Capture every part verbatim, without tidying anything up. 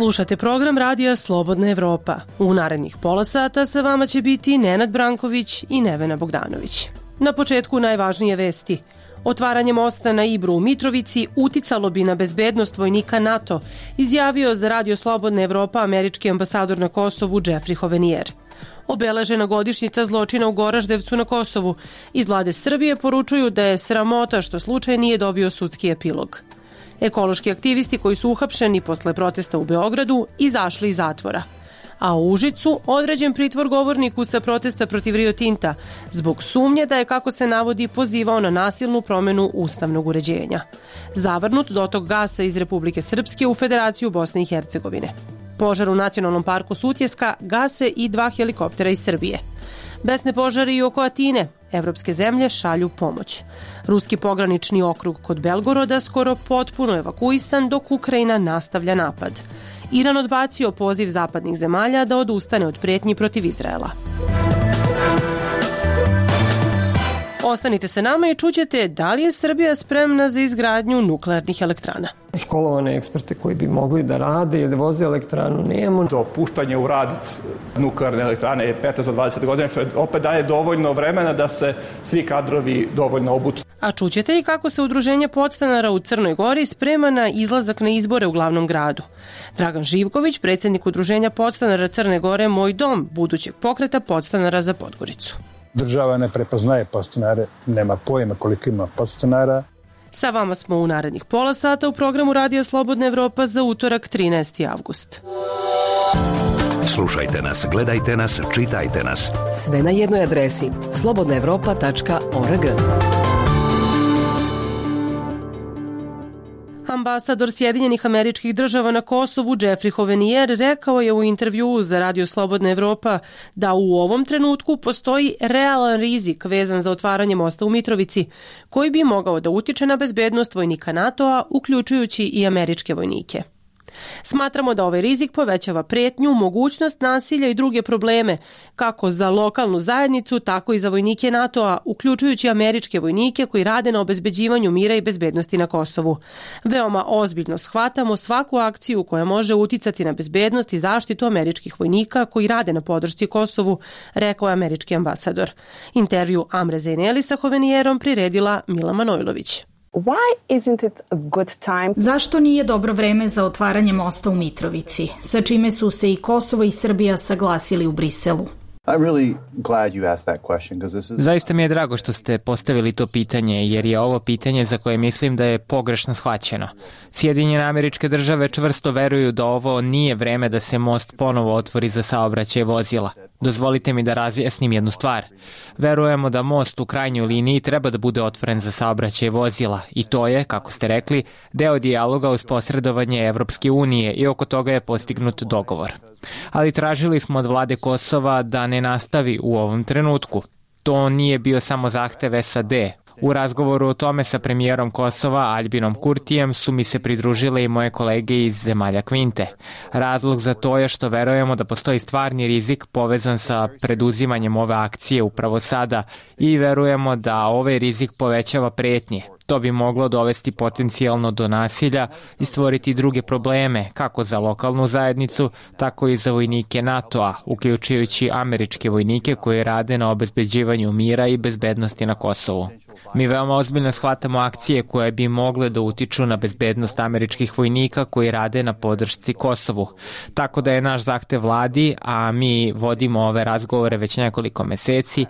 Slušate program radija Slobodna Evropa. U narednih pola sata sa vama će biti Nenad Branković i Nevena Bogdanović. Na početku najvažnije vesti. Otvaranje mosta na Ibru u Mitrovici uticalo bi na bezbednost vojnika NATO, izjavio za radio Slobodna Evropa američki ambasador na Kosovu Jeffrey Hovenier. Obeležena godišnjica zločina u Goraždevcu na Kosovu. Iz vlade Srbije poručuju da je sramota što slučaj nije dobio sudski epilog. Ekološki aktivisti koji su uhapšeni posle protesta u Beogradu izašli iz zatvora. A u Užicu određen pritvor govorniku sa protesta protiv Rio Tinta zbog sumnje da je, kako se navodi, pozivao na nasilnu promenu ustavnog uređenja. Zavrnut dotok gasa iz Republike Srpske u Federaciju Bosne i Hercegovine. Požar u Nacionalnom parku Sutjeska gase i dva helikoptera iz Srbije. Besne požari i oko Atine. Evropske zemlje šalju pomoć. Ruski pogranični okrug kod Belgoroda skoro potpuno evakuisan dok Ukrajina nastavlja napad. Iran odbacio poziv zapadnih zemalja da odustane od prijetnji protiv Izraela. Ostanite sa nama i čućete da li je Srbija spremna za izgradnju nuklearnih elektrana. Školovane eksperte koji bi mogli da rade ili da voze elektranu nemamo. Dopuštanje u rad nuklearne elektrane je petnaest do dvadeset godina, što opet daje dovoljno vremena da se svi kadrovi dovoljno obuče. A čućete i kako se udruženje podstanara u Crnoj Gori sprema na izlazak na izbore u glavnom gradu. Dragan Živković, predsjednik udruženja podstanara Crne Gore Moj dom, budućeg pokreta podstanara za Podgoricu. Država ne prepoznaje podstanare, nema pojma koliko ima podstanara. Sa vama smo u narednih pola sata u programu Radija Slobodna Evropa za utorak trinaesti avgust. Slušajte nas, gledajte nas, čitajte nas. Sve na jednoj adresi slobodna evropa tačka org. Ambasador Sjedinjenih Američkih Država na Kosovu Jeffrey Hovenier rekao je u intervjuu za Radio Slobodna Evropa da u ovom trenutku postoji realan rizik vezan za otvaranje mosta u Mitrovici, koji bi mogao da utiče na bezbednost vojnika NATO-a, uključujući i američke vojnike. Smatramo da ovaj rizik povećava prijetnju, mogućnost nasilja i druge probleme, kako za lokalnu zajednicu, tako i za vojnike NATO-a, uključujući američke vojnike koji rade na obezbeđivanju mira i bezbednosti na Kosovu. Veoma ozbiljno shvatamo svaku akciju koja može uticati na bezbednost i zaštitu američkih vojnika koji rade na podršci Kosovu, rekao je američki ambasador. Intervju Amre Zeneli sa Hovenijerom priredila Mila Manojlović. Why isn't it a good time? Zašto nije dobro vreme za otvaranje mosta u Mitrovici, sa čime su se i Kosovo i Srbija saglasili u Briselu? Really glad you asked that question, because this is... Zaista mi je drago što ste postavili to pitanje, jer je ovo pitanje za koje mislim da je pogrešno shvaćeno. Sjedinjene Američke Države čvrsto veruju da ovo nije vreme da se most ponovo otvori za saobraćaj vozila. Dozvolite mi da razjasnim jednu stvar. Verujemo da most u krajnjoj liniji treba da bude otvoren za saobraćaj vozila i to je, kako ste rekli, deo dijaloga uz posredovanje Evropske unije i oko toga je postignut dogovor. Ali tražili smo od vlade Kosova da ne nastavi u ovom trenutku. To nije bio samo zahtev S A D. U razgovoru o tome sa premijerom Kosova Aljbinom Kurtijem su mi se pridružile i moje kolege iz zemalja Kvinte. Razlog za to je što verujemo da postoji stvarni rizik povezan sa preduzimanjem ove akcije upravo sada i verujemo da ovaj rizik povećava prijetnje. To bi moglo dovesti potencijalno do nasilja i stvoriti druge probleme, kako za lokalnu zajednicu, tako i za vojnike NATO-a, uključujući američke vojnike koji rade na obezbeđivanju mira i bezbednosti na Kosovu. Mi veoma ozbiljno shvatamo akcije koje bi mogle da utiču na bezbednost američkih vojnika koji rade na podršci Kosovu. Tako da je naš zahtev vladi, a mi vodimo ove razgovore već nekoliko meseci,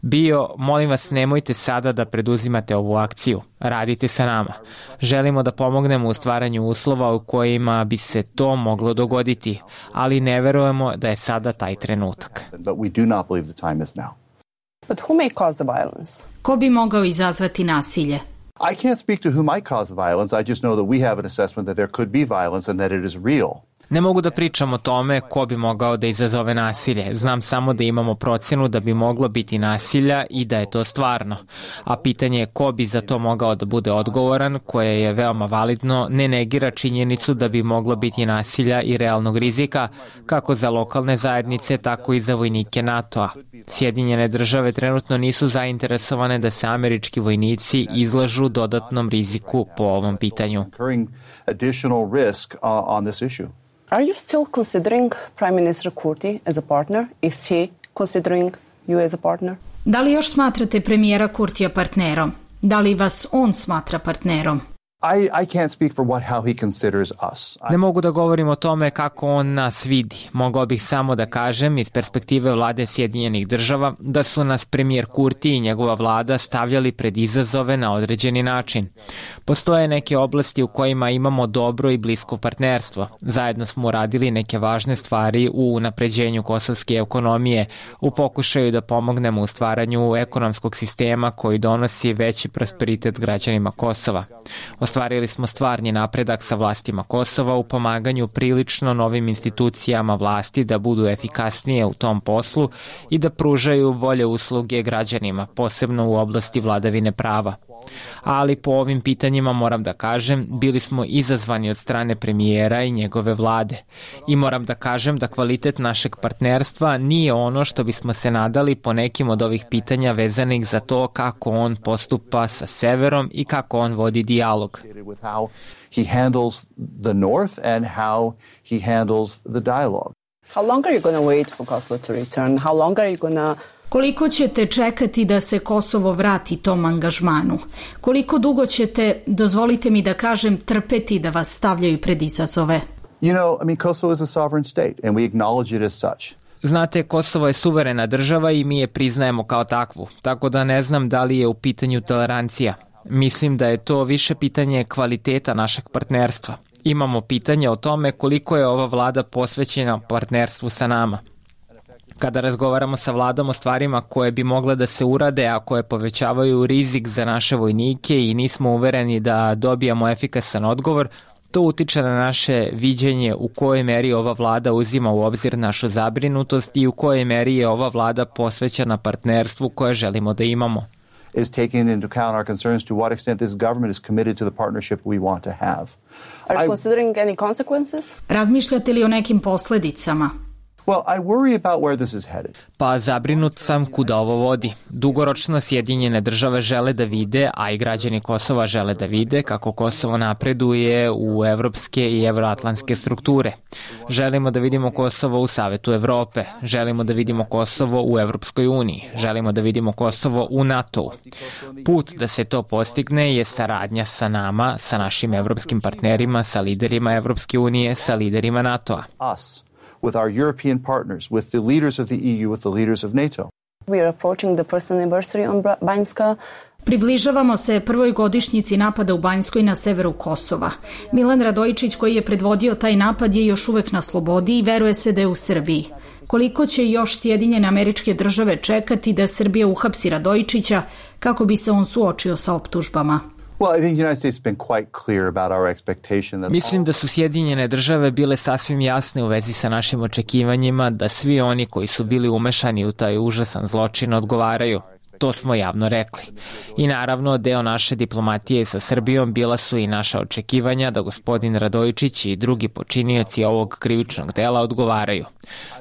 bio, molim vas, nemojte sada da preduzimate ovu akciju. Radite sa nama. Želimo da pomognemo u stvaranju uslova u kojima bi se to moglo dogoditi, ali ne verujemo da je sada taj trenutak. But who may cause the violence? Ko bi mogao izazvati nasilje? I can't speak to who might cause the violence. I just know that we have an assessment that there could be violence and that it is real. Ne mogu da pričam o tome ko bi mogao da izazove nasilje. Znam samo da imamo procenu da bi moglo biti nasilja i da je to stvarno. A pitanje je ko bi za to mogao da bude odgovoran, koje je veoma validno, ne negira činjenicu da bi moglo biti nasilja i realnog rizika, kako za lokalne zajednice, tako i za vojnike NATO-a. Sjedinjene države trenutno nisu zainteresovane da se američki vojnici izlažu dodatnom riziku po ovom pitanju. Are you still considering Prime Minister Kurti as a partner? Is he considering you as a partner? Da li još smatrate premijera Kurtija partnerom? Da li vas on smatra partnerom? I, I can't speak for what how he considers us. Ne mogu da govorim o tome kako on nas vidi. Mogao bih samo da kažem iz perspektive vlade Sjedinjenih država da su nas premijer Kurti i njegova vlada stavljali pred izazove na određeni način. Postoje neke oblasti u kojima imamo dobro i blisko partnerstvo. Zajedno smo uradili neke važne stvari u unapređenju kosovske ekonomije, u pokušaju da pomognemo u stvaranju ekonomskog sistema koji donosi veći prosperitet građanima Kosova. Ostvarili smo stvarni napredak sa vlastima Kosova u pomaganju prilično novim institucijama vlasti da budu efikasnije u tom poslu i da pružaju bolje usluge građanima, posebno u oblasti vladavine prava. Ali po ovim pitanjima moram da kažem, bili smo izazvani od strane premijera i njegove vlade. I moram da kažem da kvalitet našeg partnerstva nije ono što bismo se nadali po nekim od ovih pitanja vezanih za to kako on postupa sa severom i kako on vodi dijalog. He handles the north and how he handles the dialogue. How long are you going to wait for Kosovo to return? How long are you going to Koliko ćete čekati da se Kosovo vrati tom angažmanu? Koliko dugo ćete, dozvolite mi da kažem, trpeti da vas stavljaju pred izazove? You know, I mean, Kosovo is a sovereign state and we acknowledge it as such. Znate, Kosovo je suverena država i mi je priznajemo kao takvu, tako da ne znam da li je u pitanju tolerancija. Mislim da je to više pitanje kvaliteta našeg partnerstva. Imamo pitanje o tome koliko je ova vlada posvećena partnerstvu sa nama. Kada razgovaramo sa vladom o stvarima koje bi mogle da se urade, a koje povećavaju rizik za naše vojnike i nismo uvereni da dobijamo efikasan odgovor, to utiče na naše viđenje u kojoj meri ova vlada uzima u obzir našu zabrinutost i u kojoj meri je ova vlada posvećena partnerstvu koje želimo da imamo. Is taking into account our concerns to what extent this government is committed to the partnership we want to have. Are you considering any consequences? Razmišljate li o nekim posledicama? Well, I worry about where this is headed. Pa zabrinut sam kuda ovo vodi. Dugoročno Sjedinjene države žele da vide, a i građani Kosova žele da vide kako Kosovo napreduje u evropske i evroatlantske strukture. Želimo da vidimo Kosovo u Savetu Evrope, želimo da vidimo Kosovo u Evropskoj uniji, želimo da vidimo Kosovo u NATO-u. Put da se to postigne je saradnja sa nama, sa našim evropskim partnerima, sa liderima Evropske unije, sa liderima NATO-a. Us. With our European partners, with the leaders of the E U, with the leaders of NATO. We are approaching the first anniversary on Banjska. Približavamo se prvoj godišnjici napada u Banjskoj na severu Kosova. Milan Radojičić, koji je predvodio taj napad, je još uvek na slobodi i veruje se da je u Srbiji. Koliko će još Sjedinjene Američke Države čekati da Srbija uhapsi Radojičića kako bi se on suočio sa optužbama? Mislim da su Sjedinjene države bile sasvim jasne u vezi sa našim očekivanjima da svi oni koji su bili umešani u taj užasan zločin odgovaraju. To smo javno rekli. I naravno, deo naše diplomatije sa Srbijom bila su i naša očekivanja da gospodin Radojičić i drugi počinioci ovog krivičnog dela odgovaraju.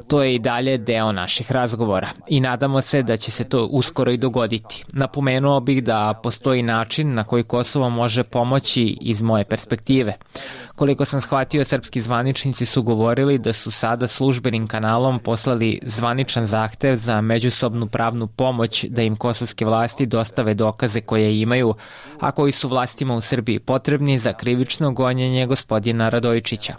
To je i dalje deo naših razgovora i nadamo se da će se to uskoro i dogoditi. Napomenuo bih da postoji način na koji Kosovo može pomoći iz moje perspektive. Koliko sam shvatio, srpski zvaničnici su govorili da su sada službenim kanalom poslali zvaničan zahtev za međusobnu pravnu pomoć da im kosovske vlasti dostave dokaze koje imaju, a koji su vlastima u Srbiji potrebni za krivično gonjenje gospodina Radojičića.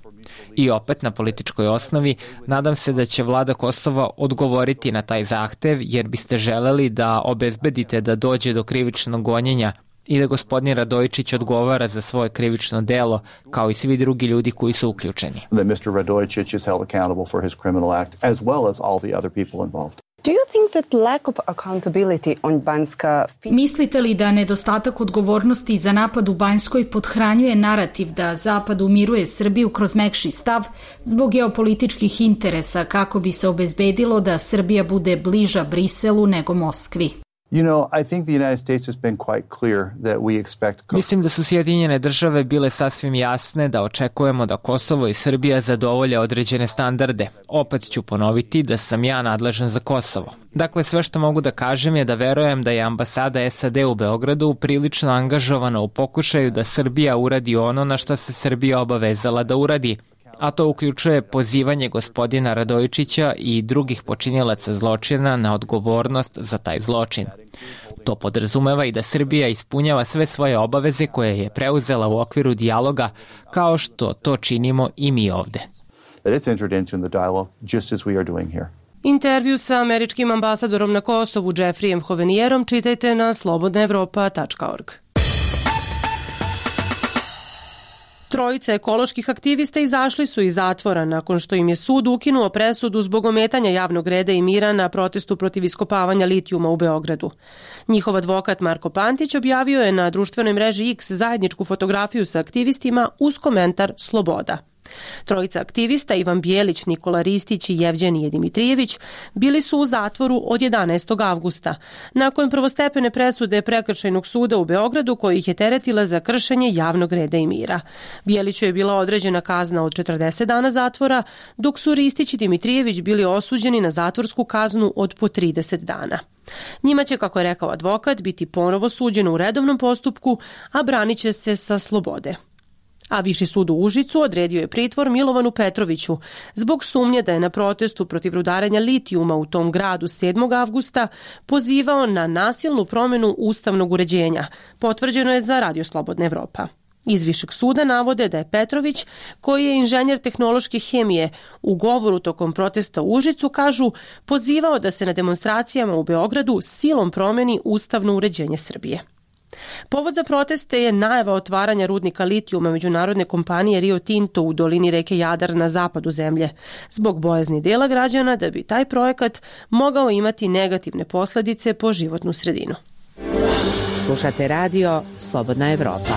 I opet na političkoj osnovi, nadam se da će vlada Kosova odgovoriti na taj zahtev, jer biste želeli da obezbedite da dođe do krivičnog gonjenja i da gospodin Radojičić odgovara za svoje krivično delo, kao i svi drugi ljudi koji su uključeni. That mister Radojičić is held accountable for his criminal act, as well as all the other people involved. Do you think that lack of accountability on Banjska... Mislite li da nedostatak odgovornosti za napad u Banjskoj podhranjuje narativ da Zapad umiruje Srbiju kroz mekši stav zbog geopolitičkih interesa kako bi se obezbedilo da Srbija bude bliža Briselu nego Moskvi? You know, I think the United States has been quite clear that we expect... Mislim da su Sjedinjene države bile sasvim jasne da očekujemo da Kosovo i Srbija zadovolje određene standarde. Opet ću ponoviti da sam ja nadležan za Kosovo. Dakle, sve što mogu da kažem je da verujem da je ambasada S A D u Beogradu prilično angažovana u pokušaju da Srbija uradi ono na što se Srbija obavezala da uradi, a to uključuje pozivanje gospodina Radojičića i drugih počinilaca zločina na odgovornost za taj zločin. To podrazumeva i da Srbija ispunjava sve svoje obaveze koje je preuzela u okviru dijaloga, kao što to činimo i mi ovde. Intervju sa američkim ambasadorom na Kosovu Jeffreyem Hovenijerom čitajte na slobodna evropa tačka org. Trojica ekoloških aktivista izašli su iz zatvora nakon što im je sud ukinuo presudu zbog ometanja javnog reda i mira na protestu protiv iskopavanja litijuma u Beogradu. Njihov advokat Marko Pantić objavio je na društvenoj mreži X zajedničku fotografiju sa aktivistima uz komentar Sloboda. Trojica aktivista, Ivan Bijelić, Nikola Ristić i Jevđenije Dimitrijević, bili su u zatvoru od jedanaestog avgusta, nakon prvostepene presude Prekršajnog suda u Beogradu koji ih je teretila za kršenje javnog reda i mira. Bijeliću je bila određena kazna od četrdeset dana zatvora, dok su Ristić i Dimitrijević bili osuđeni na zatvorsku kaznu od po trideset dana. Njima će, kako je rekao advokat, biti ponovo suđeno u redovnom postupku, a branit će se sa slobode. A Viši sud u Užicu odredio je pritvor Milovanu Petroviću zbog sumnje da je na protestu protiv rudarenja litijuma u tom gradu sedmog avgusta pozivao na nasilnu promjenu ustavnog uređenja, potvrđeno je za Radio Slobodna Evropa. Iz Višeg suda navode da je Petrović, koji je inženjer tehnološke hemije, u govoru tokom protesta u Užicu, kažu, pozivao da se na demonstracijama u Beogradu silom promjeni ustavno uređenje Srbije. Povod za proteste je najava otvaranja rudnika litijuma međunarodne kompanije Rio Tinto u dolini reke Jadar na zapadu zemlje, zbog bojazni dela građana da bi taj projekat mogao imati negativne posljedice po životnu sredinu. Slušate radio Slobodna Evropa.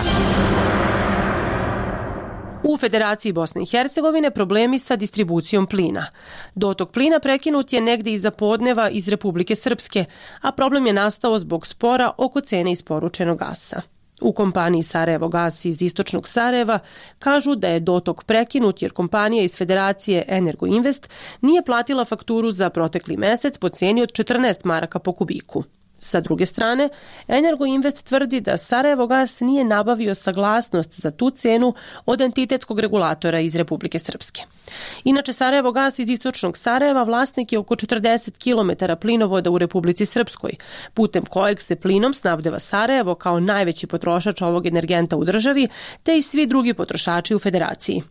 U Federaciji Bosne i Hercegovine problemi sa distribucijom plina. Dotok plina prekinut je negde iza podneva iz Republike Srpske, a problem je nastao zbog spora oko cene isporučenog gasa. U kompaniji Sarajevo gas iz istočnog Sarajeva kažu da je dotok prekinut jer kompanija iz Federacije Energo Invest nije platila fakturu za protekli mesec po ceni od četrnaest maraka po kubiku. Sa druge strane, Energo Invest tvrdi da Sarajevo gas nije nabavio saglasnost za tu cenu od entitetskog regulatora iz Republike Srpske. Inače, Sarajevo gas iz istočnog Sarajeva vlasnik je oko četrdeset kilometara plinovoda u Republici Srpskoj, putem kojeg se plinom snabdeva Sarajevo kao najveći potrošač ovog energenta u državi, te i svi drugi potrošači u Federaciji.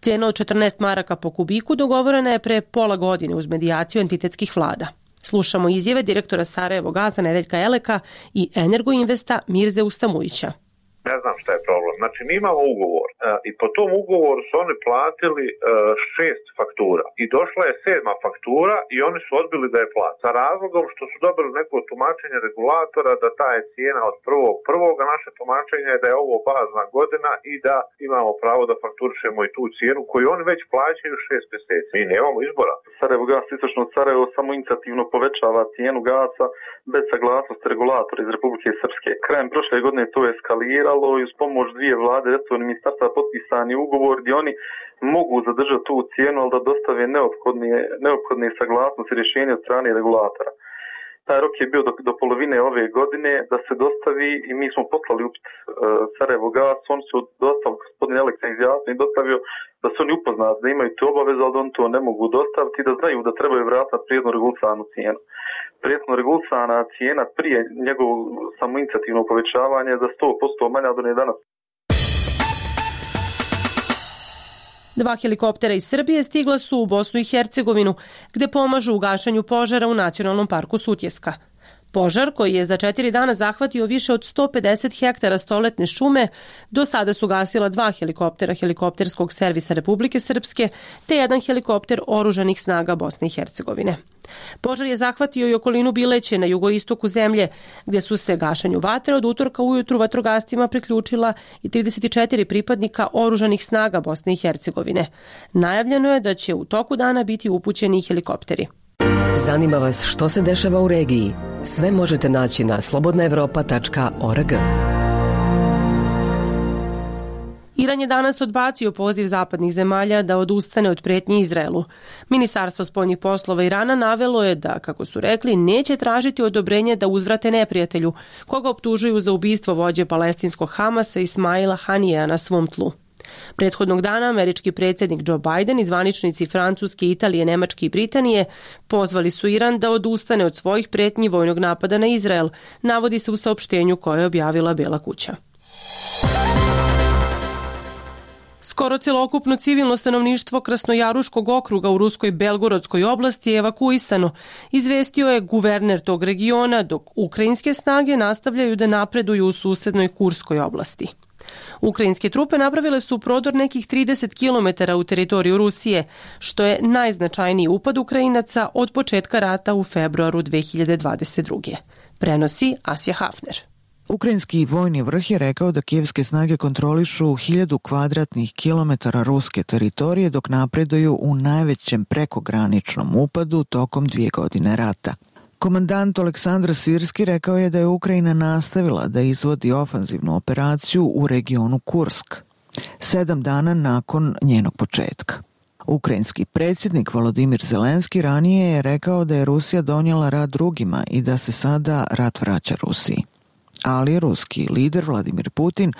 Cena od četrnaest maraka po kubiku dogovorena je pre pola godine uz medijaciju entitetskih vlada. Slušamo izjave direktora Sarajevo gasa Nedeljka Eleka i Energo Investa Mirze Ustamujića. Ne znam šta je problem. Znači, mi imamo ugovor e, i po tom ugovoru su oni platili e, šest faktura i došla je sedma faktura i oni su odbili da je plati. Sa razlogom što su dobili neko tumačenje regulatora da ta je cijena od prvog prvog, a naše tumačenje je da je ovo bazna godina i da imamo pravo da fakturišemo i tu cijenu koju oni već plaćaju šest mjeseci. Mi nemamo izbora. Sarajevo gas istočno od Sarajevo samo inicijativno povećava cijenu gasa bez saglasnosti regulatora iz Republike Srpske. Krajem prošle godine to je eskaliralo i uz pomoć dvije vlade resornih ministarstva potpisani ugovor gdje oni mogu zadržati tu cijenu, ali da dostave neophodne, neophodne saglasnosti i rješenja od strane regulatora. Taj rok je bio do, do polovine ove godine da se dostavi i mi smo poslali upit uh, Sarajevo gas, oni su dostavili, gospodin Eleksa izjasnio i dostavio da su oni upoznati da imaju tu obavezu, ali da oni to ne mogu dostaviti i da znaju da trebaju vratiti prijedno regulisanu cijenu. Prijetno regulisana cijena prije njegovog samoinicijativnog povećavanja je za sto posto manja od one danas. Dva helikoptera iz Srbije stigla su u Bosnu i Hercegovinu, gde pomažu u gašenju požara u Nacionalnom parku Sutjeska. Požar, koji je za četiri dana zahvatio više od sto pedeset hektara stoletne šume, do sada su gasila dva helikoptera helikopterskog servisa Republike Srpske te jedan helikopter oružanih snaga Bosne i Hercegovine. Požar je zahvatio i okolinu Bileće na jugoistoku zemlje, gdje su se gašenju vatre od utorka ujutru vatrogascima priključila i trideset četiri pripadnika oružanih snaga Bosne i Hercegovine. Najavljeno je da će u toku dana biti upućeni helikopteri. Zanima vas što se dešava u regiji? Sve možete naći na slobodna evropa tačka org. Iran je danas odbacio poziv zapadnih zemalja da odustane od pretnje Izraelu. Ministarstvo spoljnih poslova Irana navelo je da, kako su rekli, neće tražiti odobrenje da uzvrate neprijatelju, koga optužuju za ubistvo vođe palestinskog Hamasa Ismaila Hanijeja na svom tlu. Prethodnog dana američki predsjednik Joe Biden i zvaničnici Francuske, Italije, Nemačke i Britanije pozvali su Iran da odustane od svojih pretnji vojnog napada na Izrael, navodi se u saopštenju koje je objavila Bela kuća. Skoro celokupno civilno stanovništvo Krasnojaruškog okruga u ruskoj Belgorodskoj oblasti je evakuisano, izvestio je guverner tog regiona, dok ukrajinske snage nastavljaju da napreduju u susednoj Kurskoj oblasti. Ukrajinske trupe napravile su prodor nekih trideset kilometara u teritoriju Rusije, što je najznačajniji upad Ukrajinaca od početka rata u februaru dve hiljade dvadeset druge. Prenosi Asja Hafner. Ukrajinski vojni vrh je rekao da kijevske snage kontrolišu hiljadu kvadratnih kilometara ruske teritorije dok napreduju u najvećem prekograničnom upadu tokom dvije godine rata. Komandant Aleksandar Sirski rekao je da je Ukrajina nastavila da izvodi ofanzivnu operaciju u regionu Kursk, sedam dana nakon njenog početka. Ukrajinski predsjednik Volodimir Zelenski ranije je rekao da je Rusija donijela rat drugima i da se sada rat vraća Rusiji. Ali ruski lider Vladimir Putin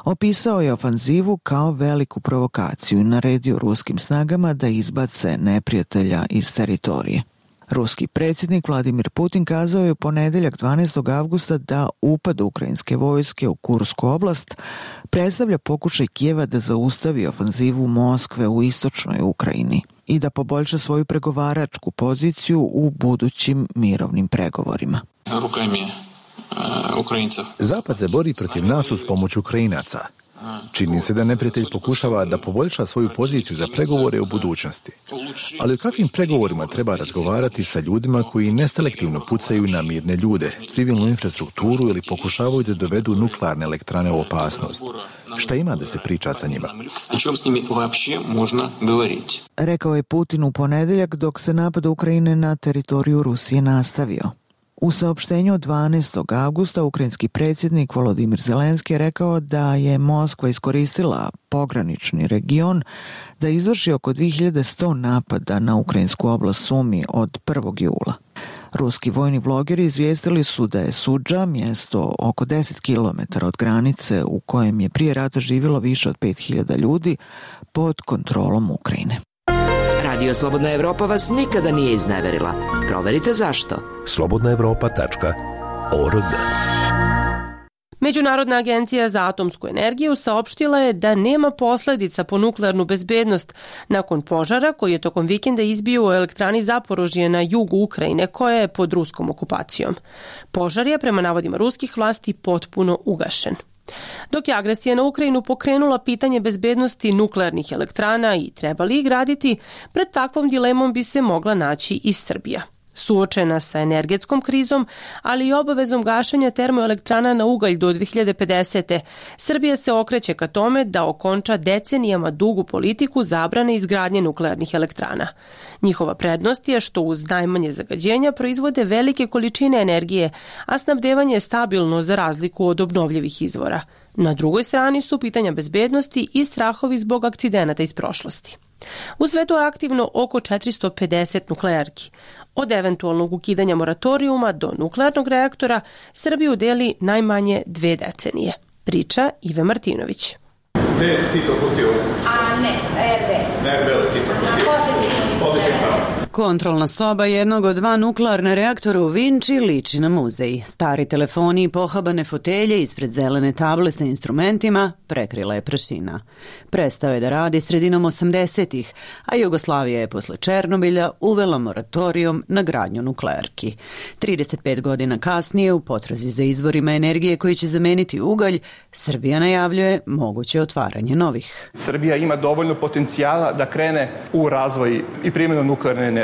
opisao je ofanzivu kao veliku provokaciju i naredio ruskim snagama da izbace neprijatelja iz teritorije. Ruski predsjednik Vladimir Putin kazao je u ponedjeljak dvanaestog avgusta da upad ukrajinske vojske u Kursku oblast predstavlja pokušaj Kijeva da zaustavi ofanzivu Moskve u istočnoj Ukrajini i da poboljša svoju pregovaračku poziciju u budućim mirovnim pregovorima. Zapad se bori protiv nas uz pomoć Ukrajinaca. Čini se da neprijatelj pokušava da poboljša svoju poziciju za pregovore u budućnosti. Ali o kakvim pregovorima treba razgovarati sa ljudima koji neselektivno pucaju na mirne ljude, civilnu infrastrukturu ili pokušavaju da dovedu nuklearne elektrane u opasnost? Šta ima da se priča sa njima? Rekao je Putin u ponedjeljak dok se napad Ukrajine na teritoriju Rusije nastavio. U saopštenju od dvanaestog avgusta ukrajinski predsjednik Volodimir Zelenski je rekao da je Moskva iskoristila pogranični region da izvrši oko dvije hiljade sto napada na ukrajinsku oblast Sumi od prvog jula. Ruski vojni blogeri izvijestili su da je Sudža, mjesto oko deset kilometara od granice u kojem je prije rata živjelo više od pet hiljada ljudi, pod kontrolom Ukrajine. Radio Slobodna Evropa vas nikada nije izneverila. Proverite zašto. slobodna evropa tačka org. Međunarodna agencija za atomsku energiju saopštila je da nema posledica po nuklearnu bezbednost nakon požara koji je tokom vikenda izbio u elektrani Zaporožje na jugu Ukrajine koja je pod ruskom okupacijom. Požar je prema navodima ruskih vlasti potpuno ugašen. Dok je agresija na Ukrajinu pokrenula pitanje bezbednosti nuklearnih elektrana i treba li ih graditi, pred takvom dilemom bi se mogla naći i Srbija. Suočena sa energetskom krizom, ali i obavezom gašenja termoelektrana na ugalj do dve hiljade pedesete. Srbija se okreće ka tome da okonča decenijama dugu politiku zabrane izgradnje nuklearnih elektrana. Njihova prednost je što uz najmanje zagađenja proizvode velike količine energije, a snabdevanje je stabilno za razliku od obnovljivih izvora. Na drugoj strani su pitanja bezbednosti i strahovi zbog akcidenata iz prošlosti. U svetu je aktivno oko četiristo pedeset nuklearki. Od eventualnog ukidanja moratorijuma do nuklearnog reaktora Srbiju deli najmanje dve decenije. Priča Ive Martinović. Gde je Tito pustio? A ne, R B. Na R B-u Tito pustio. Kontrolna soba jednog od dva nuklearna reaktora u Vinči liči na muzej. Stari telefoni i pohabane fotelje ispred zelene table sa instrumentima prekrila je prašina. Prestao je da radi sredinom osamdesetih, a Jugoslavija je posle Černobilja uvela moratorijum na gradnju nuklearki. trideset pet godina kasnije, u potrazi za izvorima energije koji će zameniti ugalj, Srbija najavljuje moguće otvaranje novih. Srbija ima dovoljno potencijala da krene u razvoj i primjenu nuklearne energije.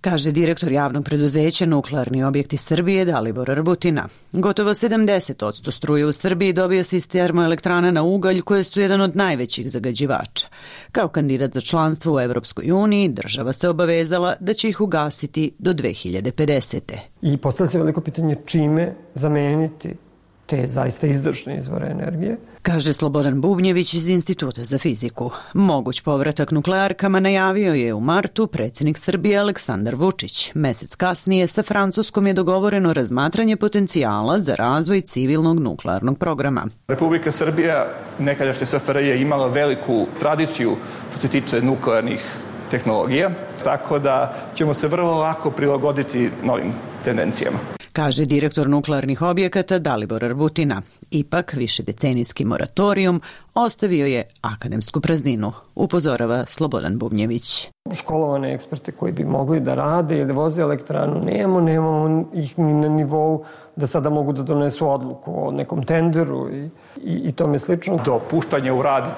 Kaže direktor javnog preduzeća Nuklearni objekti Srbije Dalibor Rbutina. Gotovo sedamdeset posto struje u Srbiji dobija se iz termoelektrana na ugalj koje su jedan od najvećih zagađivača. Kao kandidat za članstvo u Evropskoj uniji, država se obavezala da će ih ugasiti do dve hiljade pedesete. I postavlja se veliko pitanje čime zameniti te zaista izdašne izvore energije. Kaže Slobodan Bubnjević iz Instituta za fiziku. Moguć povratak nuklearkama najavio je u martu predsjednik Srbije Aleksandar Vučić. Mesec kasnije sa Francuskom je dogovoreno razmatranje potencijala za razvoj civilnog nuklearnog programa. Republika Srbija, nekadašnja S F R J, je imala veliku tradiciju što se tiče nuklearnih tehnologija, tako da ćemo se vrlo lako prilagoditi novim tendencijama. Kaže direktor nuklearnih objekata Dalibor Arbutina. Ipak, višedecenijski moratorijum ostavio je akademsku prazninu, upozorava Slobodan Bubnjević. Školovane eksperte koji bi mogli da rade ili da voze elektranu nemamo, nemamo ih ni na nivou da sada mogu da donesu odluku o nekom tenderu i, i, i tome slično. Dopuštanje u rad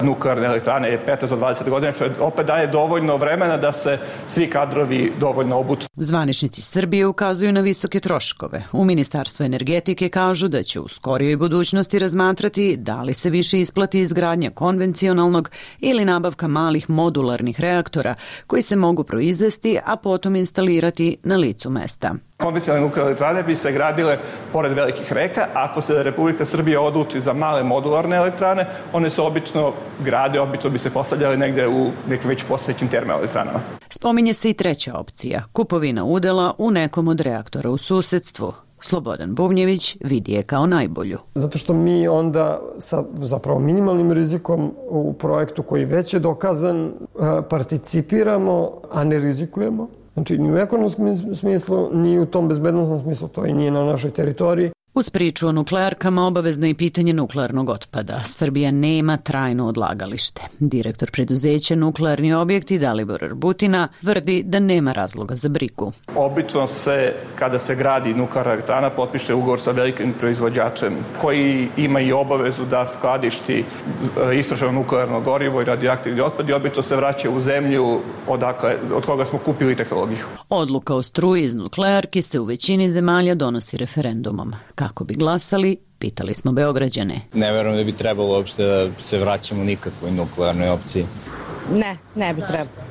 nuklearne elektrane je petnaest do dvadeset godina, što opet daje dovoljno vremena da se svi kadrovi dovoljno obuče. Zvaničnici Srbije ukazuju na visoke troškove. U Ministarstvu energetike kažu da će u skorijoj budućnosti razmatrati da li se više isplati izgradnja konvencionalnog ili nabavka malih modularnih reaktora koji se mogu proizvesti, a potom instalirati na licu mesta. Konvencionalne nuklearne elektrane bi se gradile pored velikih reka. Ako se Republika Srbija odluči za male modularne elektrane, one se obično grade, obično bi se postavljale negde u nekim već postojećim termoelektranama. Spominje se i treća opcija, kupovina udela u nekom od reaktora u susedstvu. Slobodan Bubnjević vidi je kao najbolju. Zato što mi onda sa zapravo minimalnim rizikom u projektu koji već je dokazan participiramo, a ne rizikujemo. Znači, ni u ekonomskom smislu, ni u tom bezbednostnom smislu, to i nije na našoj teritoriji. Uz priču o nuklearkama obavezno je pitanje nuklearnog otpada. Srbija nema trajno odlagalište. Direktor preduzeća Nuklearni objekti Dalibor Arbutina tvrdi da nema razloga za brigu. Obično se, kada se gradi nuklearna elektrana, potpiše ugovor sa velikim proizvođačem koji ima i obavezu da skladišti istrošeno nuklearno gorivo i radioaktivni otpad i obično se vraća u zemlju odakle, od koga smo kupili tehnologiju. Odluka o struji iz nuklearki se u većini zemalja donosi referendumom. Kako bi glasali, pitali smo Beograđane. Ne verujem da bi trebalo uopšte da se vraćamo nikakvoj nuklearnoj opciji. Ne, ne bi trebalo.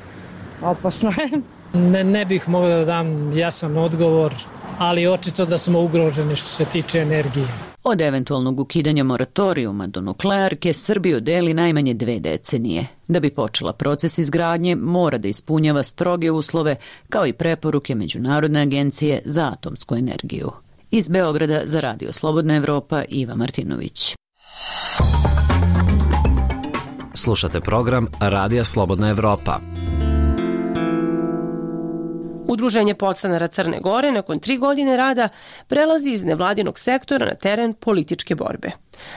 Opasno je. Ne, ne bih mogao da dam jasan odgovor, ali očito da smo ugroženi što se tiče energije. Od eventualnog ukidanja moratorijuma do nuklearke Srbiju deli najmanje dve decenije. Da bi počela proces izgradnje, mora da ispunjava stroge uslove, kao i preporuke Međunarodne agencije za atomsku energiju. Iz Beograda za Radio Slobodna Evropa, Iva Martinović. Slušate program Radija Slobodna Evropa. Udruženje podstanara Crne Gore nakon tri godine rada prelazi iz nevladinog sektora na teren političke borbe.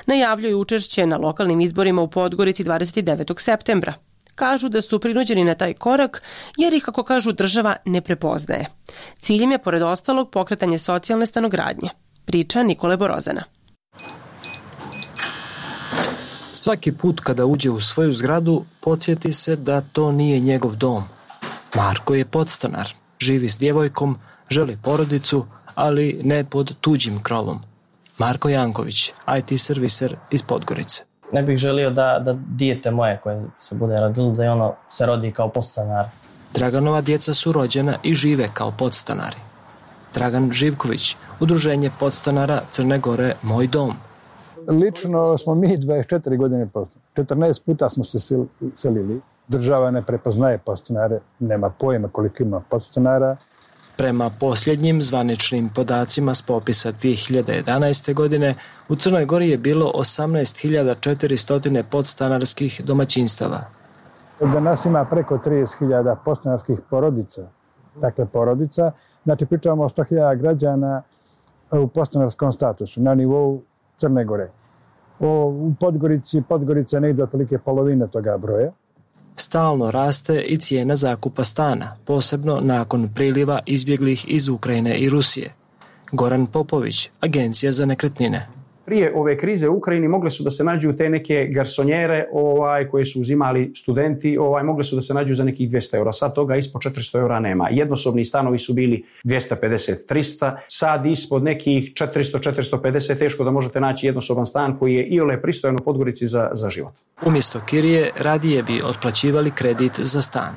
Najavljuju učešće na lokalnim izborima u Podgorici dvadeset devetog septembra. Kažu da su prinuđeni na taj korak jer ih, kako kažu, država ne prepoznaje. Ciljem je, pored ostalog, pokretanje socijalne stanogradnje. Priča Nikole Borozana. Svaki put kada uđe u svoju zgradu, podsjeti se da to nije njegov dom. Marko je podstanar, živi s djevojkom, želi porodicu, ali ne pod tuđim krovom. Marko Janković, I T serviser iz Podgorice. Ne bih želio da, da dijete moje koje se bude rodilo, da je ono se rodi kao podstanar. Draganova djeca su rođena i žive kao podstanari. Dragan Živković, Udruženje podstanara Crne Gore, Moj dom. Lično smo mi dvadeset četiri godine podstanari. četrnaest puta smo se selili. Država ne prepoznaje podstanare, nema pojma koliko ima podstanara. Prema posljednjim zvaničnim podacima s popisa dvije hiljade jedanaeste. godine, u Crnoj Gori je bilo osamnaest hiljada četiristo podstanarskih domaćinstava. Danas ima preko trideset hiljada podstanarskih porodica. Dakle, porodica, znači pričamo o sto hiljada građana u podstanarskom statusu na nivou Crne Gore. U Podgorici, Podgorica ne ide otprilike polovine toga broja. Stalno raste i cijena zakupa stana, posebno nakon priliva izbjeglih iz Ukrajine i Rusije. Goran Popović, Agencija za nekretnine. Prije ove krize u Ukrajini mogle su da se nađu te neke garsonjere ovaj, koje su uzimali studenti, ovaj, mogle su da se nađu za nekih dvjesto eura. Sad toga ispod četiristo eura nema. Jednosobni stanovi su bili dvjesto pedeset do tristo, sad ispod nekih četiristo do četiristo pedeset teško da možete naći jednosoban stan koji je iole pristojan u Podgorici za, za život. Umjesto kirije radije bi otplaćivali kredit za stan.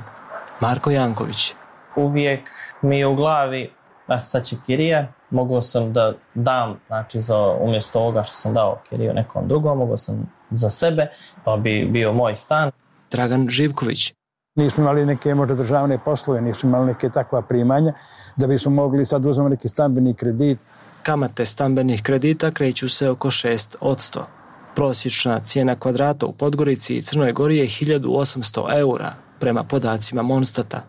Marko Janković. Uvijek mi je u glavi a sad će kirija, mogao sam da dam, znači za umjesto ovoga što sam dao kiriju nekom drugom, mogao sam za sebe, pa bi bio moj stan. Dragan Živković. Nismo imali neke možda državne poslove, nismo imali neke takva primanja, da bismo mogli sad uzeti neki stambeni kredit. Kamate stambenih kredita kreću se oko šest posto. Prosječna cijena kvadrata u Podgorici i Crnoj Gori je hiljadu osamsto eura, prema podacima Monstata.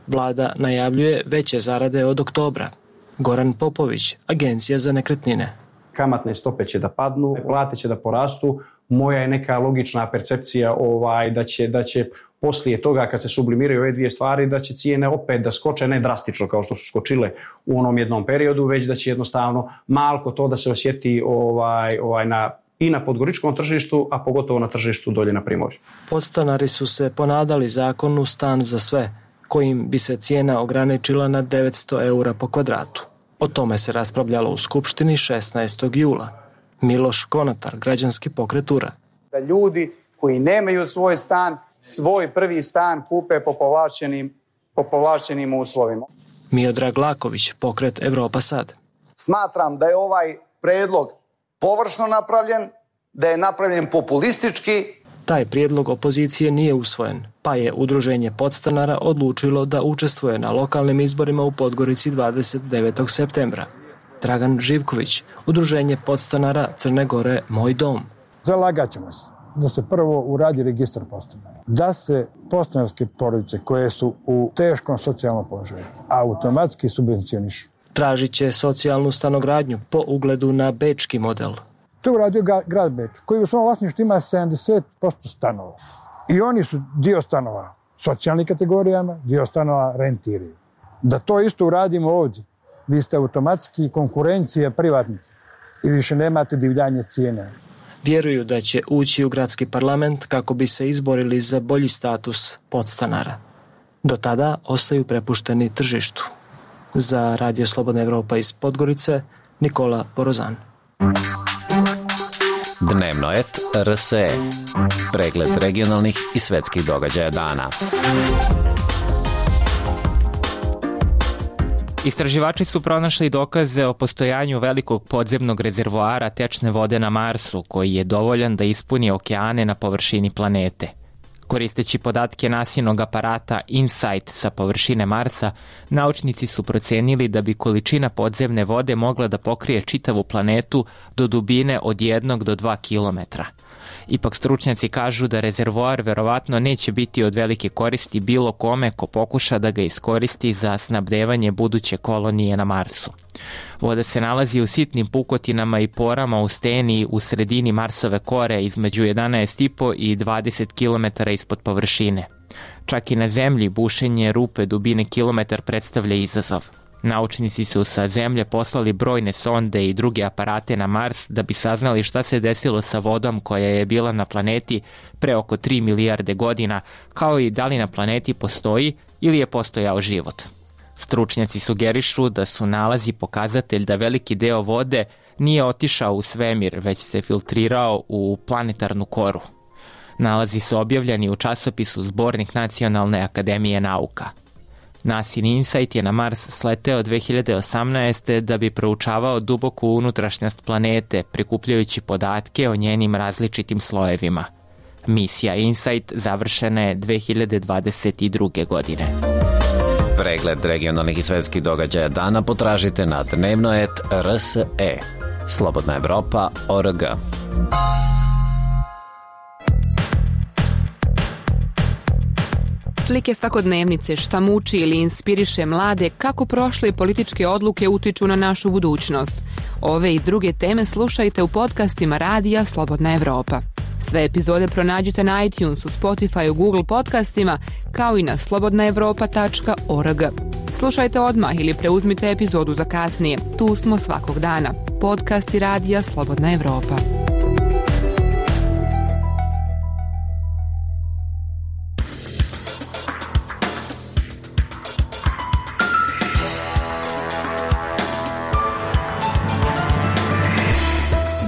Vlada najavljuje veće zarade od oktobra. Goran Popović, Agencija za nekretnine. Kamatne stope će da padnu, plate će da porastu. Moja je neka logična percepcija ovaj, da će, da će poslije toga kad se sublimiraju ove dvije stvari, da će cijene opet da skoče, ne drastično kao što su skočile u onom jednom periodu, već da će jednostavno malko to da se osjeti ovaj, ovaj na, i na podgoričkom tržištu, a pogotovo na tržištu dolje na Primorju. Podstanari su se ponadali zakonu Stan za sve, kojim bi se cijena ograničila na devetsto eura po kvadratu. O tome se raspravljalo u Skupštini šesnaestog jula. Miloš Konatar, Građanski pokret U R A. Da ljudi koji nemaju svoj stan, svoj prvi stan kupe po povlašćenim, po povlašćenim uslovima. Miodrag Laković, pokret Evropa sad. Smatram da je ovaj predlog površno napravljen, da je napravljen populistički. Taj prijedlog opozicije nije usvojen, pa je Udruženje podstanara odlučilo da učestvuje na lokalnim izborima u Podgorici dvadeset devetog septembra. Dragan Živković, Udruženje podstanara Crne Gore Moj dom. Zalagat ćemo se da se prvo uradi registar podstanara, da se podstanarske porodice koje su u teškom socijalnom položaju automatski subvencionišu. Tražit će socijalnu stanogradnju po ugledu na bečki model. To je uradio grad Beč, koji u svom vlasništvu ima sedamdeset posto stanova. I oni su dio stanova socijalnim kategorijama, dio stanova rentiraju. Da to isto uradimo ovdje, vi ste automatski konkurencija privatnica i više nemate divljanje cijene. Vjeruju da će ući u gradski parlament kako bi se izborili za bolji status podstanara. Do tada ostaju prepušteni tržištu. Za Radio Slobodna Evropa iz Podgorice, Nikola Borozan. Dnevno et R S E. Pregled regionalnih i svetskih događaja dana. Istraživači su pronašli dokaze o postojanju velikog podzemnog rezervoara tečne vode na Marsu, koji je dovoljan da ispuni okeane na površini planete. Koristeći podatke nasinog aparata InSight sa površine Marsa, naučnici su procenili da bi količina podzemne vode mogla da pokrije čitavu planetu do dubine od jednog do dva kilometra. Ipak stručnjaci kažu da rezervoar verovatno neće biti od velike koristi bilo kome ko pokuša da ga iskoristi za snabdevanje buduće kolonije na Marsu. Voda se nalazi u sitnim pukotinama i porama u steni u sredini Marsove kore između jedanaest i po i dvadeset kilometara ispod površine. Čak i na Zemlji bušenje rupe dubine kilometar predstavlja izazov. Naučnici su sa Zemlje poslali brojne sonde i druge aparate na Mars da bi saznali šta se desilo sa vodom koja je bila na planeti pre oko tri milijarde godina, kao i da li na planeti postoji ili je postojao život. Stručnjaci sugerišu da su nalazi pokazatelj da veliki deo vode nije otišao u svemir, već se filtrirao u planetarnu koru. Nalazi su objavljeni u časopisu Zbornik Nacionalne akademije nauka. NASIN InSight je na Mars sleteo dve hiljade osamnaeste. da bi proučavao duboku unutrašnjost planete, prikupljajući podatke o njenim različitim slojevima. Misija InSight završena je dve hiljade dvadeset druge. godine. Pregled regionalnih i svetskih događaja dana potražite na dnevno et R S E. Slobodna Evropa O R G. Slike svakodnevnice, šta muči ili inspiriše mlade, kako prošle političke odluke utiču na našu budućnost. Ove i druge teme slušajte u podcastima Radija Slobodna Evropa. Sve epizode pronađite na iTunesu, Spotifyu, Google podcastima, kao i na slobodna evropa tačka org. Slušajte odmah ili preuzmite epizodu za kasnije. Tu smo svakog dana. Podcasti Radija Slobodna Evropa.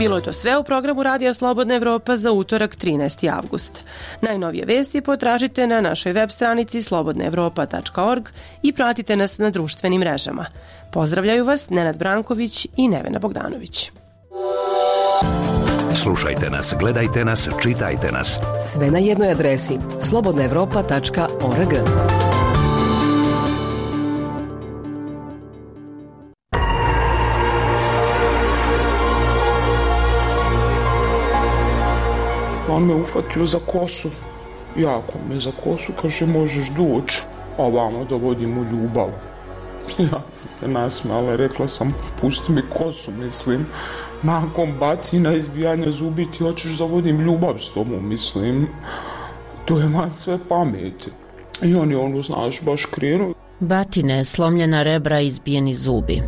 Bilo je to sve u programu Radija Slobodna Evropa za utorak trinaesti avgust. Najnovije vesti potražite na našoj web stranici slobodna evropa tačka org i pratite nas na društvenim mrežama. Pozdravljaju vas Nenad Branković i Nevena Bogdanović. Slušajte nas, gledajte nas, čitajte nas. Sve na jednoj adresi slobodna evropa tačka org. On me uhvatio za kosu, jako me za kosu, kaže možeš doći, a vamo da vodimo ljubav. Ja sam se nasmijala, rekla sam pusti mi kosu, mislim, nakon bacina, izbijanja zubi ti hoćeš da vodim ljubav s tobom, mislim, to je man sve pameti. I on je ono, znaš, baš krenuo. Batine, slomljena rebra i izbijeni zubi.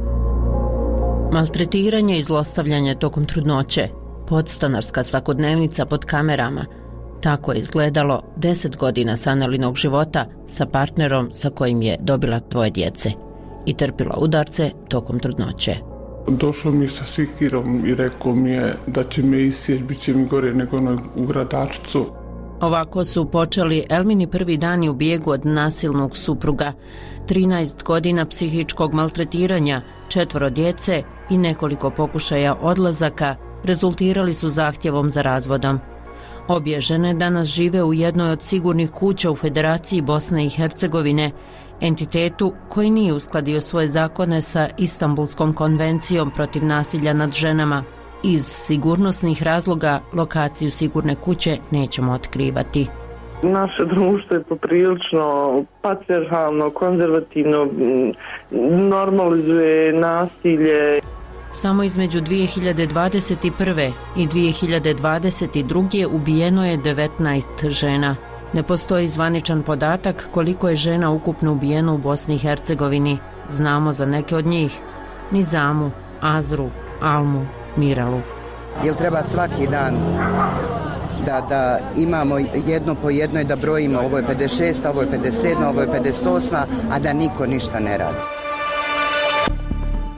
Maltretiranje i zlostavljanje tokom trudnoće. Podstanarska svakodnevnica pod kamerama. Tako je izgledalo deset godina Sanelinog života sa partnerom sa kojim je dobila dvoje djece i trpila udarce tokom trudnoće. Došao mi sa sikirom i rekao mi je da će me isjeć, bit će mi gore nego ono u gradačcu. Ovako su počeli Elmini prvi dani u bijegu od nasilnog supruga. trinaest godina psihičkog maltretiranja, četvoro djece i nekoliko pokušaja odlazaka rezultirali su zahtjevom za razvodom. Obje žene danas žive u jednoj od sigurnih kuća u Federaciji Bosne i Hercegovine, entitetu koji nije uskladio svoje zakone sa Istanbulskom konvencijom protiv nasilja nad ženama. Iz sigurnosnih razloga lokaciju sigurne kuće nećemo otkrivati. Naše društvo je poprilično patrijarhalno, konzervativno, normalizuje nasilje. Samo između dvije hiljade dvadeset prve i dvije hiljade dvadeset druge ubijeno je devetnaest žena. Ne postoji zvaničan podatak koliko je žena ukupno ubijeno u Bosni i Hercegovini. Znamo za neke od njih: Nizamu, Azru, Almu, Miralu. Jel treba svaki dan da, da imamo jedno po jedno i da brojimo ovo je pedeset šest, ovo je pedeset sedam, ovo je pedeset osam, a da niko ništa ne radi?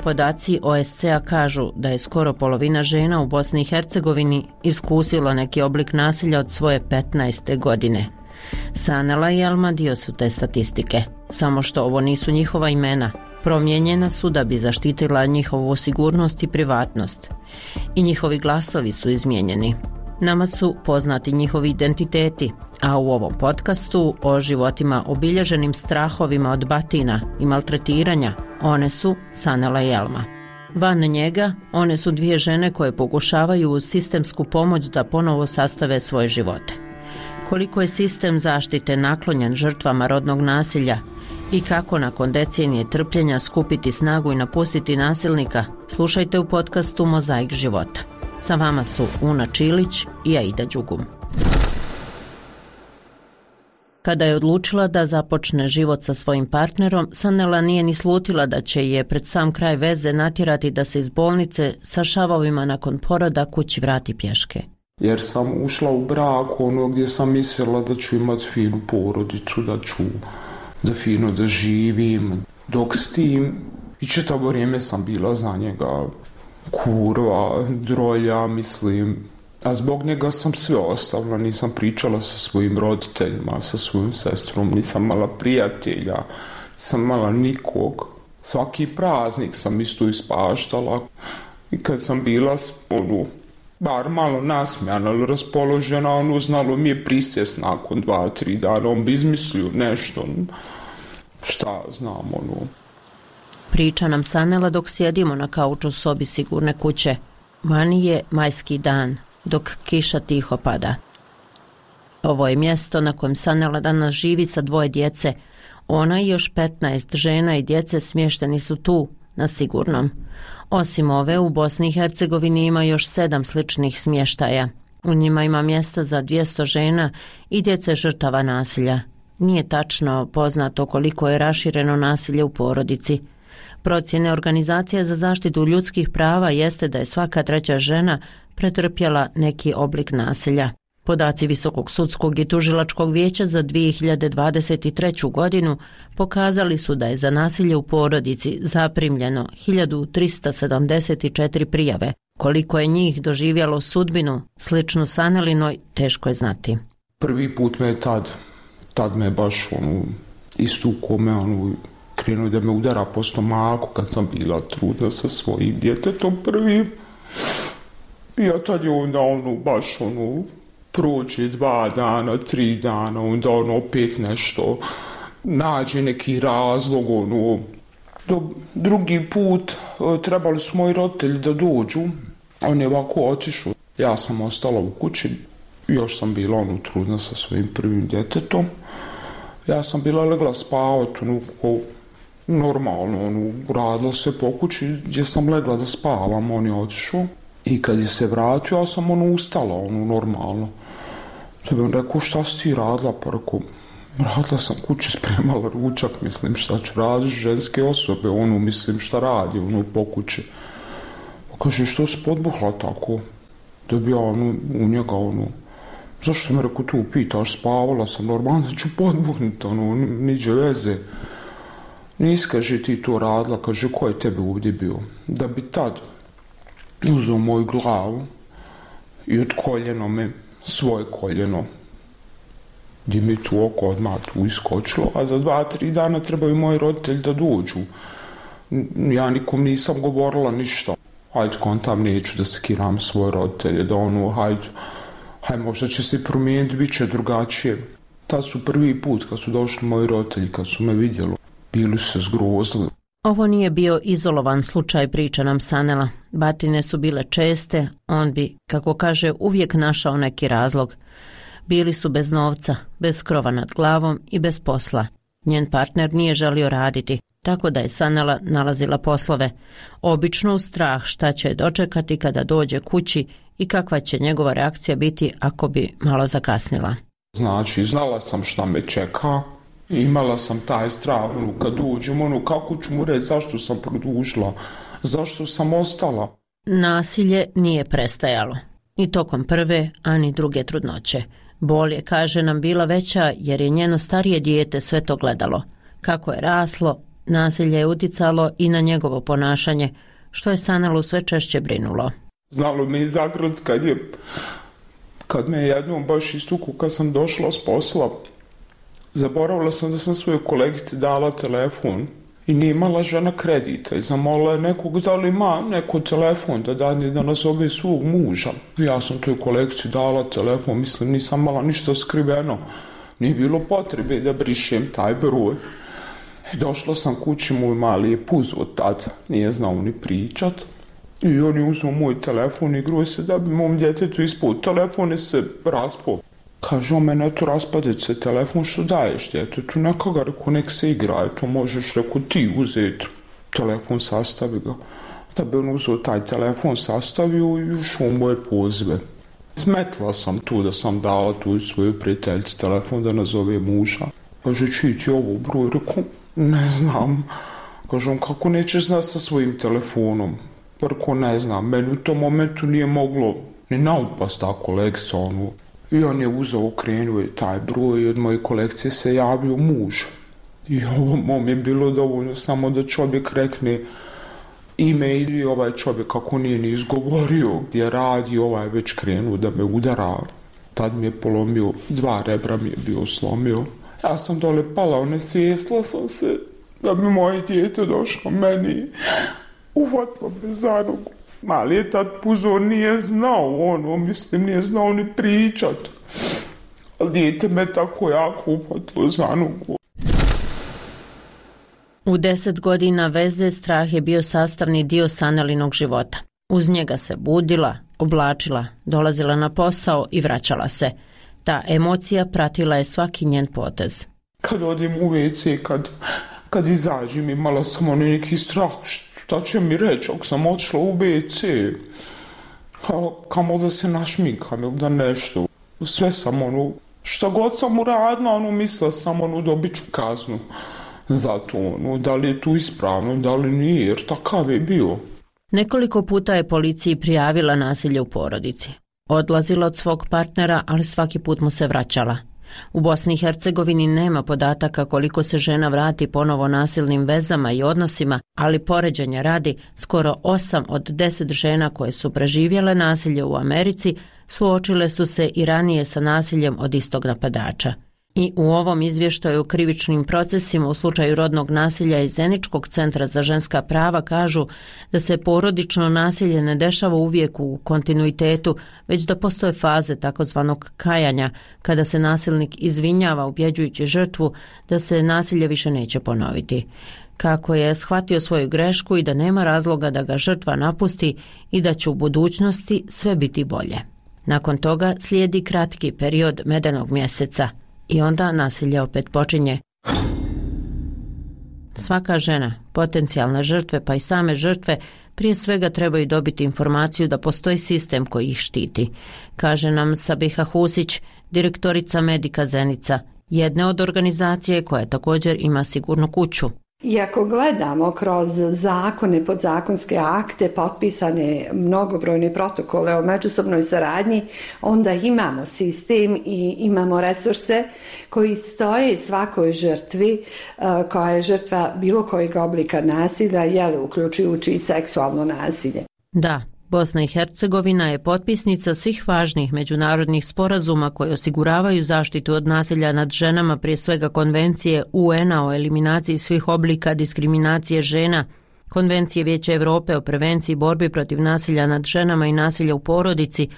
Podaci O S C-a kažu da je skoro polovina žena u Bosni i Hercegovini iskusila neki oblik nasilja od svoje petnaeste godine. Sanela i Alma dio su te statistike, samo što ovo nisu njihova imena. Promijenjena su da bi zaštitila njihovu sigurnost i privatnost. I njihovi glasovi su izmijenjeni. Nama su poznati njihovi identiteti, a u ovom podcastu o životima obilježenim strahovima od batina i maltretiranja, one su Sanela i Alma. Van njega, one su dvije žene koje pokušavaju uz sistemsku pomoć da ponovo sastave svoje živote. Koliko je sistem zaštite naklonjen žrtvama rodnog nasilja i kako nakon decenije trpljenja skupiti snagu i napustiti nasilnika, slušajte u podcastu Mozaik života. Sa vama su Una Čilić i Aida Đugum. Kada je odlučila da započne život sa svojim partnerom, Sanela nije ni slutila da će je pred sam kraj veze natjerati da se iz bolnice sa šavovima nakon poroda kući vrati pješke. Jer sam ušla u brak ono gdje sam mislila da ću imati finu porodicu, da ću da fino da živim. Dok s tim i čitavo vrijeme sam bila za njega kurva, drolja, mislim. A zbog njega sam sve ostavila, nisam pričala sa svojim roditeljima, sa svojim sestrom, nisam mala prijatelja, nisam mala nikog. Svaki praznik sam isto ispaštala. I kad sam bila, ono, bar malo nasmijana ili raspoložena, ono, znalo mi je prisjest nakon dva, tri dana, on bi izmislio nešto, šta znam, ono. Priča nam Sanela dok sjedimo na kauču u sobi sigurne kuće. Vani je majski dan, dok kiša tiho pada. Ovo je mjesto na kojem Sanela danas živi sa dvoje djece. Ona i još petnaest žena i djece smješteni su tu, na sigurnom. Osim ove, u Bosni i Hercegovini ima još sedam sličnih smještaja. U njima ima mjesta za dvjesto žena i djece žrtava nasilja. Nije tačno poznato koliko je rašireno nasilje u porodici. Procjene Organizacije za zaštitu ljudskih prava jeste da je svaka treća žena pretrpjela neki oblik nasilja. Podaci Visokog sudskog i tužilačkog vijeća za dvije hiljade dvadeset treću godinu pokazali su da je za nasilje u porodici zaprimljeno hiljadu trista sedamdeset četiri prijave, Koliko je njih doživjelo sudbinu, sličnu Sanelinoj, teško je znati. Prvi put me je tad, tad me baš ono, istukao me, ono, krenuo da me udara po stomaku kad sam bila trudna sa svojim djetetom prvim. I ja tad je onda ono, baš ono, prođe dva dana, tri dana, onda ono, opet nešto, nađe neki razlog, ono, do, drugi put trebali su moji roditelji da dođu, on je ovako otišao. Ja sam ostala u kući, još sam bila ono trudna sa svojim prvim djetetom. Ja sam bila legla spavati, ono, normalno, ono, radilo se po kući gdje sam legla da spavam, on je otišao. I kad je se vratio, ja sam ono ustala, ono, normalno. Da bi on rekao, šta si ti radila? Pa rekao, radila sam kući, spremala ručak, mislim, šta ću raditi, ženske osobe, ono, mislim, šta radi, ono, po kući. Pa kaže, što si podbuhla tako? Da bi ja, ono, u njega, ono, zašto me rekao tu pitaš, spavala sam, normalno da ću podbuhnuti, ono, niđe veze. Nis, kaže, ti to radila, kaže, ko je tebe ovdje bio? Da bi tad uzeo moju glavu i od koljeno me, svoje koljeno, gdje mi tu oko odmah tu iskočilo, a za dva, tri dana trebaju moji roditelji da dođu. Ja nikom nisam govorila ništa. Hajde, kontam, neću da skiram svoje roditelje, da ono, hajde, hajde, možda će se promijeniti, bit će drugačije. Tad su prvi put kad su došli moji roditelji, kad su me vidjeli, bili su se zgrozili. Ovo nije bio izolovan slučaj, priča nam Sanela. Batine su bile česte, on bi, kako kaže, uvijek našao neki razlog. Bili su bez novca, bez krova nad glavom i bez posla. Njen partner nije želio raditi, tako da je Sanela nalazila poslove. Obično u strah šta će dočekati kada dođe kući i kakva će njegova reakcija biti ako bi malo zakasnila. Znači, znala sam šta me čeka. Imala sam taj strah, ono, kad uđem, ono, kako ću mu reći zašto sam produžila, zašto sam ostala. Nasilje nije prestajalo, ni tokom prve, a ni druge trudnoće. Bol je, kaže nam, bila veća jer je njeno starije dijete sve to gledalo. Kako je raslo, nasilje je uticalo i na njegovo ponašanje, što je Sanelu sve češće brinulo. Znalo me i zagrlit kad je, kad me jednom baš istuku, kad sam došla s posla, zaboravila sam da sam svojoj kolegici dala telefon i nije imala žena kredita i zamolila je nekog da li ima neko telefon da dadne da nazove svog muža. Ja sam toj kolegici dala telefon, mislim nisam imala ništa skriveno, nije bilo potrebe da brišem taj broj. I došla sam kući, moj mali je puzo tad, nije znao ni pričat i on je uzeo moj telefon i igruo se da bi mom djetetu ispod telefone se raspao. Kaže, o mene to raspadeć se telefon, što daješ djetetu, neka ga, reko, nek se igraje, to možeš, reko, ti uzeti telefon, sastavi ga. Da bi on uzeo taj telefon, sastavio i ušao u moje pozive. Smetla sam tu da sam dala tu svoju prijateljici telefon da nazove muža. Kaže, čiji ti ovo broj, reko, ne znam. Kaže, on, kako nećeš znati sa svojim telefonom? Reko, ne znam, meni u tom momentu nije moglo ni naupast ta kolekcija, ono. I on je uzeo, okrenuo je taj broj i od moje kolekcije se javio muž. I ovo mom je bilo dovoljno samo da čovjek rekne ime ili ovaj čovjek kako nije ni izgovorio gdje radi, ovaj već krenuo da me udara. Tad mi je polomio, dva rebra mi je bio slomio. Ja sam dole pala, onesvijestila sam se da bi moje dijete došlo meni. Uvatilo me za nogu. Mali je tad puzo, nije znao, ono, mislim, nije znao ni pričat. Ali dijete me tako jako upatilo za nogu. U deset godina veze strah je bio sastavni dio Sanelinog života. Uz njega se budila, oblačila, dolazila na posao i vraćala se. Ta emocija pratila je svaki njen potez. Kad odim u ve ce, kad, kad izađem, imala sam ono neki strah, šta će mi reći ako sam otišla u ve ce, kamo da se našminkam ili da nešto. Sve sam ono, šta god sam uradila, ono, mislila sam ono, dobit ću kaznu za to, ono, da li je tu ispravno, da li nije, jer takav je bio. Nekoliko puta je policiji prijavila nasilje u porodici. Odlazila od svog partnera, ali svaki put mu se vraćala. U Bosni i Hercegovini nema podataka koliko se žena vrati ponovo nasilnim vezama i odnosima, ali poređenja radi, skoro osam od deset žena koje su preživjele nasilje u Americi suočile su se i ranije sa nasiljem od istog napadača. I u ovom izvještaju o krivičnim procesima u slučaju rodnog nasilja iz Zeničkog centra za ženska prava kažu da se porodično nasilje ne dešava uvijek u kontinuitetu, već da postoje faze takozvanog kajanja, kada se nasilnik izvinjava ubjeđujući žrtvu da se nasilje više neće ponoviti. Kako je shvatio svoju grešku i da nema razloga da ga žrtva napusti i da će u budućnosti sve biti bolje. Nakon toga slijedi kratki period medenog mjeseca. I onda nasilje opet počinje. Svaka žena, potencijalne žrtve pa i same žrtve, prije svega trebaju dobiti informaciju da postoji sistem koji ih štiti, kaže nam Sabiha Husić, direktorica Medika Zenica, jedne od organizacije koja također ima sigurnu kuću. I ako gledamo kroz zakone, podzakonske akte, potpisane mnogobrojne protokole o međusobnoj saradnji, onda imamo sistem i imamo resurse koji stoje svakoj žrtvi koja je žrtva bilo kojeg oblika nasilja, jel, uključujući i seksualno nasilje. Da. Bosna i Hercegovina je potpisnica svih važnih međunarodnih sporazuma koji osiguravaju zaštitu od nasilja nad ženama, prije svega Konvencije U N-a o eliminaciji svih oblika diskriminacije žena, Konvencije Vijeća Europe o prevenciji i borbi protiv nasilja nad ženama i nasilja u porodici,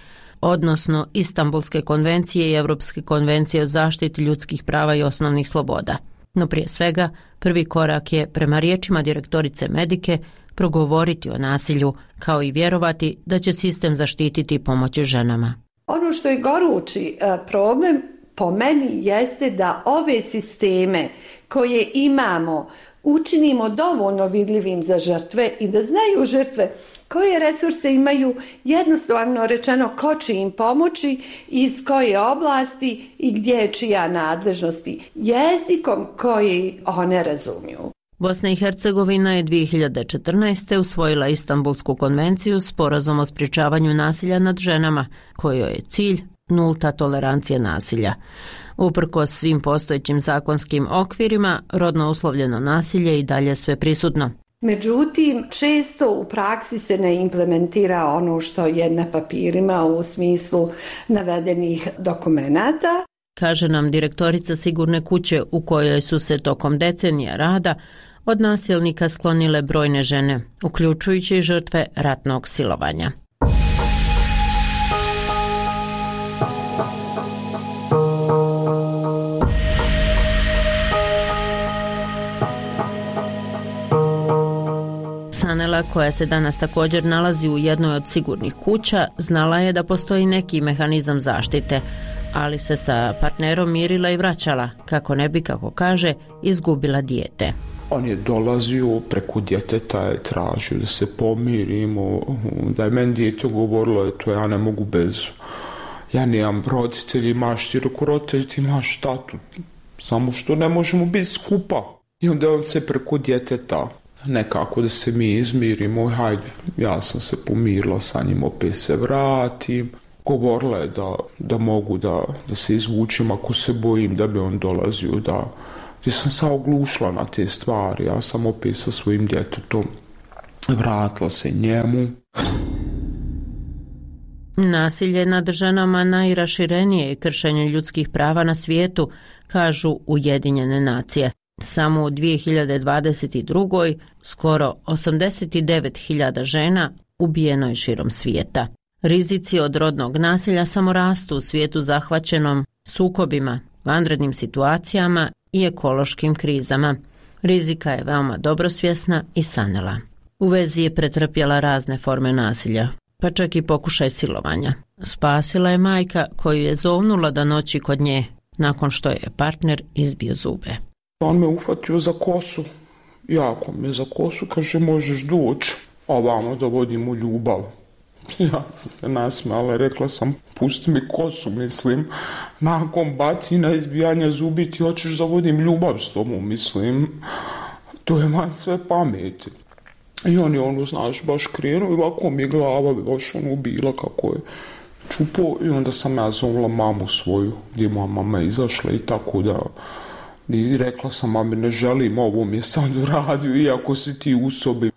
odnosno Istanbulske konvencije i Europske konvencije o zaštiti ljudskih prava i osnovnih sloboda. No prije svega, prvi korak je, prema riječima direktorice Medike, progovoriti o nasilju, kao i vjerovati da će sistem zaštititi i pomoći ženama. Ono što je gorući problem po meni jeste da ove sisteme koje imamo učinimo dovoljno vidljivim za žrtve i da znaju žrtve koje resurse imaju, jednostavno rečeno ko će im pomoći, iz koje oblasti i gdje je čija nadležnosti, jezikom koji one razumiju. Bosna i Hercegovina je dvije hiljade četrnaeste. usvojila Istanbulsku konvenciju, sporazum o sprječavanju nasilja nad ženama, kojoj je cilj nulta tolerancija nasilja. Uprkos svim postojećim zakonskim okvirima, rodno uslovljeno nasilje i dalje sve prisutno. Međutim, često u praksi se ne implementira ono što je na papirima u smislu navedenih dokumenata. Kaže nam direktorica sigurne kuće u kojoj su se tokom decenija rada od nasilnika sklonile brojne žene, uključujući i žrtve ratnog silovanja. Sanela, koja se danas također nalazi u jednoj od sigurnih kuća, znala je da postoji neki mehanizam zaštite, ali se sa partnerom mirila i vraćala, kako ne bi, kako kaže, izgubila dijete. On je dolazio, preko djeteta je tražio da se pomirimo, da je meni dijete govorilo, eto, ja ne mogu bez, ja nemam roditelji, imaš ti, reko, roditelji, ti imaš tatu, samo što ne možemo biti skupa. I onda on se preko djeteta, nekako da se mi izmirimo, hajde, ja sam se pomirila sa njim, opet se vratim. Govorila je da, da mogu da, da se izvučem ako se bojim da bi on dolazio, da gdje sam se oglušila na te stvari, ja sam opet sa svojim djetetom vratila se njemu. Nasilje nad ženama najraširenije je kršenje ljudskih prava na svijetu, kažu Ujedinjene nacije. Samo u dvije hiljade dvadeset druge. skoro osamdeset devet hiljada žena ubijeno je širom svijeta. Rizici od rodnog nasilja samo rastu u svijetu zahvaćenom sukobima, vanrednim situacijama i ekološkim krizama. Rizika je veoma dobro svjesna i Sanela. U vezi je pretrpjela razne forme nasilja, pa čak i pokušaj silovanja. Spasila je majka koju je zovnula da noći kod nje, nakon što je partner izbio zube. On me uhvatio za kosu, jako me za kosu, kaže možeš doći, a vamo da vodimo ljubav. Ja sam se nasmijala, rekla sam pusti mi kosu, mislim, nakon bacina izbijanja zubi ti hoćeš da vodim ljubav s tobom, mislim, to je man sve pameti. I on je ono, znaš, baš krenuo i ovako mi je glava baš ono bila kako je čupo i onda sam ja zovla mamu svoju, gdje moja mama izašla i tako da i rekla sam mami ne želim ovo mi je sad uradio iako si ti u sobi.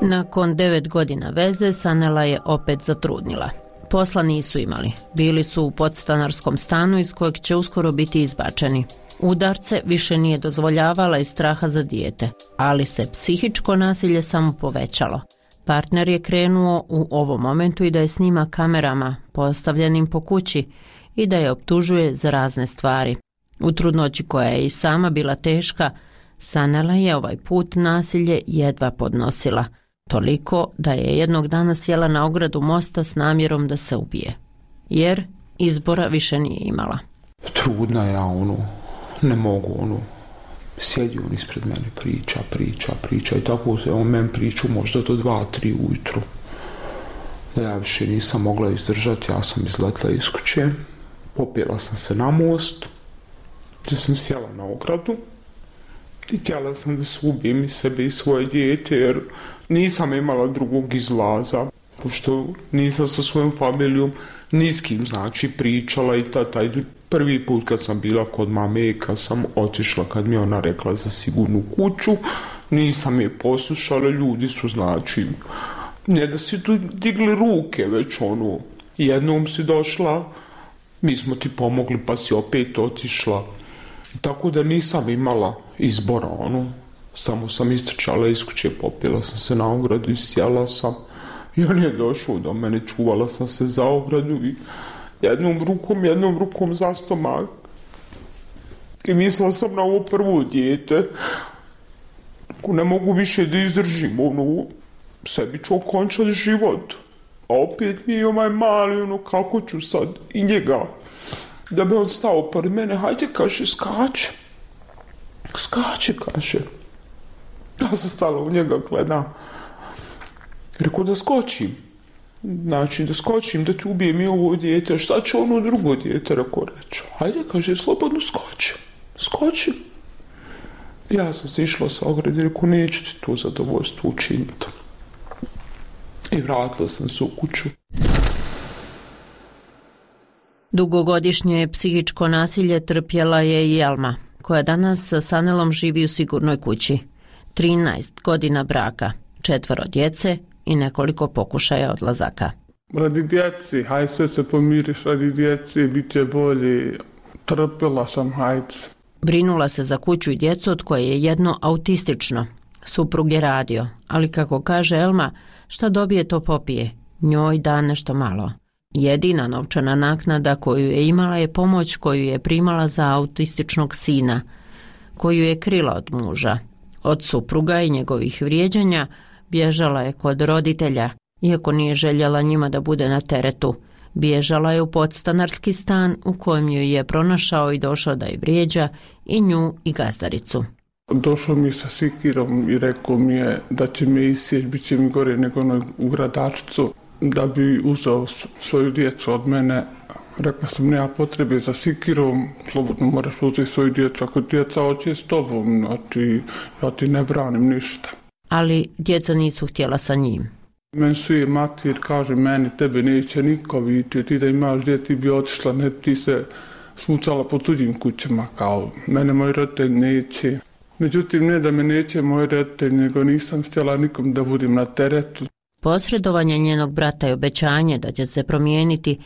Nakon devet godina veze Sanela je opet zatrudnila. Posla nisu imali. Bili su u podstanarskom stanu iz kojeg će uskoro biti izbačeni. Udarce više nije dozvoljavala iz straha za dijete, ali se psihičko nasilje samo povećalo. Partner je krenuo u ovom momentu i da je snima kamerama postavljenim po kući i da je optužuje za razne stvari. U trudnoći koja je i sama bila teška, Sanela je ovaj put nasilje jedva podnosila. Toliko da je jednog dana sjela na ogradu mosta s namjerom da se ubije. Jer izbora više nije imala. Trudna ja, ono, ne mogu, ono, sjedi on ispred mene, priča, priča, priča i tako se on meni priču možda do dva, tri ujutru. Da ja više nisam mogla izdržati, ja sam izletla iz kuće, popjela sam se na most, gdje sam sjela na ogradu i htjela sam da se ubijem i sebe i svoje dijete, jer nisam imala drugog izlaza, pošto nisam sa svojom familijom ni s kim, znači, pričala i ta, taj prvi put kad sam bila kod mame, kad sam otišla, kad mi ona rekla za sigurnu kuću, nisam je poslušala, ljudi su, znači, ne da si tu digli ruke, već ono, jednom si došla, mi smo ti pomogli pa si opet otišla. Tako da nisam imala izbora, ono, samo sam istrčala iz kuće, popila sam se na ogradu i sjela sam i on je došao do mene, čuvala sam se za ogradu i jednom rukom, jednom rukom za stomak i mislila sam na ovo prvo dijete, ako ne mogu više da izdržim, ono, sebi ću okončati život, a opet mi je ovaj mali, ono, kako ću sad i njega. Da bi on stao pored mene, hajde, kaže, skače. Skače, kaže. Ja sam stala u njega, gledam. Rekao da skočim. Znači, da skočim, da ti ubijem i ovo dijete. Šta će ono drugo dijete, rekao reći. Hajde, kaže, slobodno skoči. Skoči. Ja sam se išla sa ograde, rekao, neću ti to zadovoljstvo učiniti. I vratila sam se u kuću. Dugogodišnje psihičko nasilje trpjela je i Elma, koja danas sa Sanelom živi u sigurnoj kući. trinaest godina braka, četvoro djece i nekoliko pokušaja odlazaka. Radi djeci, haj sve se pomiriš, radi djeci, bit će bolje, trpjela sam, hajde. Brinula se za kuću i djecu od koje je jedno autistično. Suprug je radio, ali kako kaže Elma, šta dobije to popije, njoj da nešto malo. Jedina novčana naknada koju je imala je pomoć koju je primala za autističnog sina, koju je krila od muža. Od supruga i njegovih vrijeđanja bježala je kod roditelja, iako nije željela njima da bude na teretu. Bježala je u podstanarski stan u kojem joj je pronašao i došao da je vrijeđa i nju i gazdaricu. Došao mi sa sikirom i rekao mi je da će me isjeć, bit će mi gore nego onoj u gradačicu, da bi uzeo svoju djecu od mene. Rekla sam, nema potrebe za sikirom, slobodno moraš uzeti svoju djecu, ako djeca hoće s tobom, znači ja ti ne branim ništa. Ali djeca nisu htjela sa njim. Meni su je mater, kaže, meni tebe neće niko vidjeti, ti da imaš djeti ti bi otišla, ne ti se smucala po tuđim kućama, kao mene moj roditelj neće. Međutim, ne da me neće moj roditelj, nego nisam htjela nikom da budem na teretu. Posredovanje njenog brata i obećanje da će se promijeniti,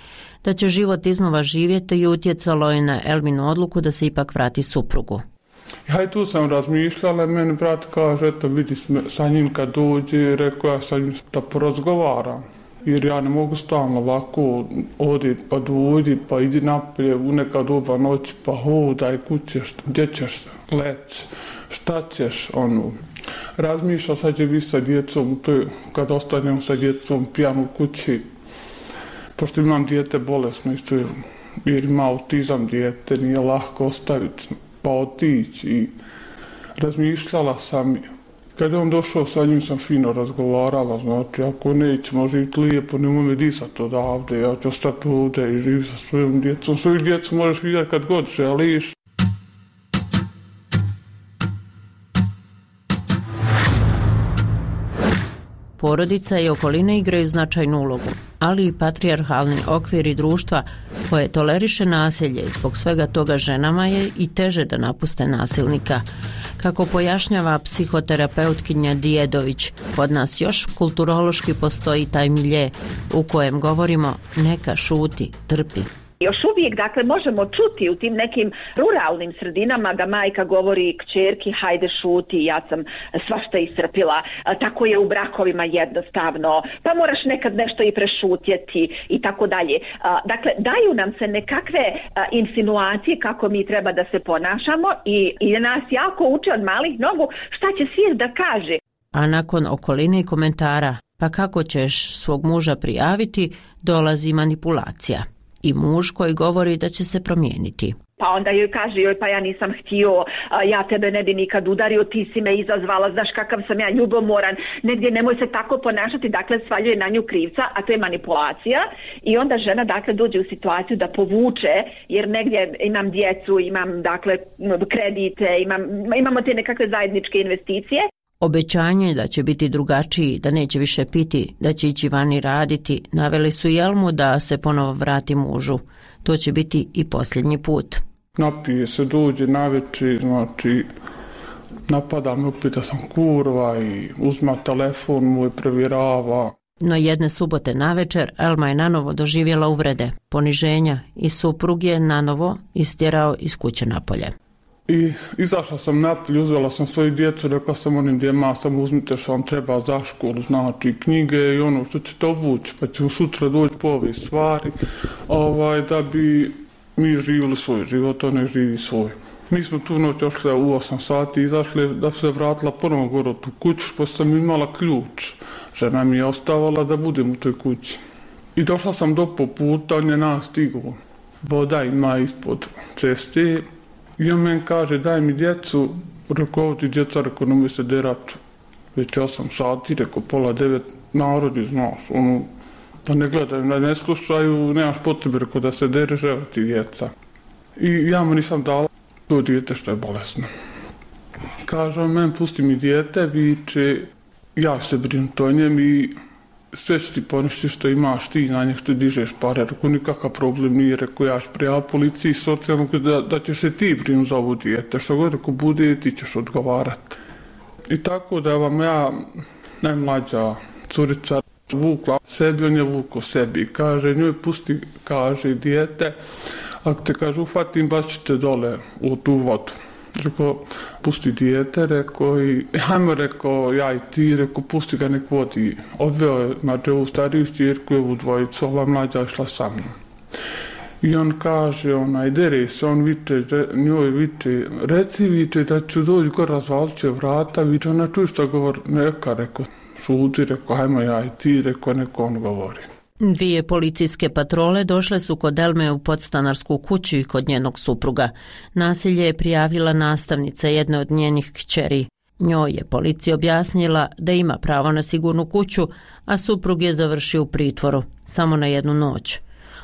da će život iznova živjeti i utjecalo je na Elminu odluku da se ipak vrati suprugu. Ja i tu sam razmišljala, meni brat kaže, eto vidi sa njim kad dođe, rekao ja sa njim da porazgovaram. Jer ja ne mogu stalno ovako odi pa dođi, pa idi napolje u neka doba noći, pa hodaj, kućeš, gdje ćeš leći, šta ćeš, ono. Razmišljao sad će biti sa djecom, to je, kad ostanem sa djecom pijan u kući, pošto imam dijete bolesno isto, jer ima autizam dijete, nije lahko ostaviti, pa otići. I razmišljala sam, kad je on došao sa njim sam fino razgovarala, znači ako nećemo živjeti lijepo, nemoj me disati odavde, ja ću ostati ovdje i živjeti sa svojom djecom. Svoju djecu možeš vidjeti kad god želiš. Porodica i okoline igraju značajnu ulogu, ali i patrijarhalni okviri društva koje toleriše nasilje i zbog svega toga ženama je i teže da napuste nasilnika. Kako pojašnjava psihoterapeutkinja Dijedović, kod nas još kulturološki postoji taj milje u kojem govorimo neka šuti, trpi. Još uvijek, dakle, možemo čuti u tim nekim ruralnim sredinama da majka govori kćerki, hajde šuti, ja sam svašta iscrpila, tako je u brakovima jednostavno, pa moraš nekad nešto i prešutjeti i tako dalje. Dakle, daju nam se nekakve insinuacije kako mi treba da se ponašamo i, i nas jako uče od malih nogu šta će svijet da kaže. A nakon okoline i komentara, pa kako ćeš svog muža prijaviti, dolazi manipulacija. I muž koji govori da će se promijeniti. Pa onda joj kaže, joj pa ja nisam htio, ja tebe ne bi nikad udario, ti si me izazvala, znaš kakav sam ja ljubomoran, negdje nemoj se tako ponašati, dakle svaljuje na nju krivca, a to je manipulacija i onda žena dakle dođe u situaciju da povuče, jer negdje imam djecu, imam dakle kredite, imam, imamo te nekakve zajedničke investicije. Obećanje da će biti drugačiji, da neće više piti, da će ići vani raditi, naveli su Jelmu da se ponovo vrati mužu. To će biti i posljednji put. Napije se, dođe navečer, znači napada me opet da sam kurva i uzma telefon moj, provjerava. No jedne subote navečer Elma je nanovo doživjela uvrede, poniženja i suprug je nanovo istjerao iz kuće napolje. I izašla sam napolje, uzela sam svoju djecu, rekla sam onim djema, samo uzmite što vam treba za školu, znači knjige i ono što ćete obući, pa ćemo sutra doći po ove stvari, ovaj, da bi mi živjeli svoj život, on ne živi svoj. Mi smo tu noć ošli u osam sati, izašli da se vratila ponovo gore u tu kuću, pa sam imala ključ. Žena mi je ostavala da budem u toj kući. I došla sam do po puta, on je nas stigao. Voda ima ispod ceste. I on meni kaže, daj mi djecu, rekao, ovo ti djeca, rekao, nemoj se derati. Već osam sati, rekao, pola devet, narodi, znaš, ono, da ne gledaju, da ne slušaju, nemaš potrebe, rekao, da se dere, evo ti djeca. I ja mu nisam dala to dijete što je bolesno. Kaže on, meni pusti mi dijete, viče, ja se brinu to njem i sve će ti poništi što imaš ti na njeg što dižeš pare, rekao nikakav problem nije, rekao ja ću prijaviti policiji socijalno da, da ćeš se ti brinu za ovo dijete, što god rekao bude ti ćeš odgovarati. I tako da vam ja, najmlađa curica, vukla sebi, on je vukao sebi, kaže njoj pusti, kaže dijete, ako te kaže ufatim baš ćete dole u tu vodu. Rekao, pusti dijete, rekao i hajmo, rekao, ja i ti, rekao, pusti ga nek vodi. Odveo je, znači, ovu stariju stjerku i ovu dvojicu, ova mlađa išla sa mnom. I on kaže, onaj, dere se, on viče, njoj viče, reci viče da ću doći gore, razvalit će vrata, viče, ona čuj što govori, neka, rekao, šuti, rekao, hajmo ja i ti, rekao, neko on govori. Dvije policijske patrole došle su kod Elme u podstanarsku kuću i kod njenog supruga. Nasilje je prijavila nastavnica jedne od njenih kćeri. Njoj je policija objasnila da ima pravo na sigurnu kuću, a suprug je završio u pritvoru, samo na jednu noć.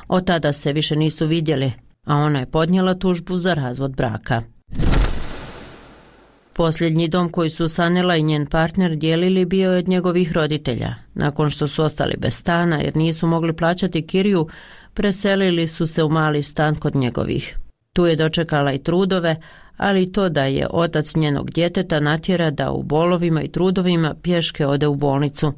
Od tada se više nisu vidjeli, a ona je podnijela tužbu za razvod braka. Posljednji dom koji su Sanela i njen partner dijelili bio je od njegovih roditelja. Nakon što su ostali bez stana jer nisu mogli plaćati kiriju, preselili su se u mali stan kod njegovih. Tu je dočekala i trudove, ali i to da je otac njenog djeteta natjera da u bolovima i trudovima pješke ode u bolnicu.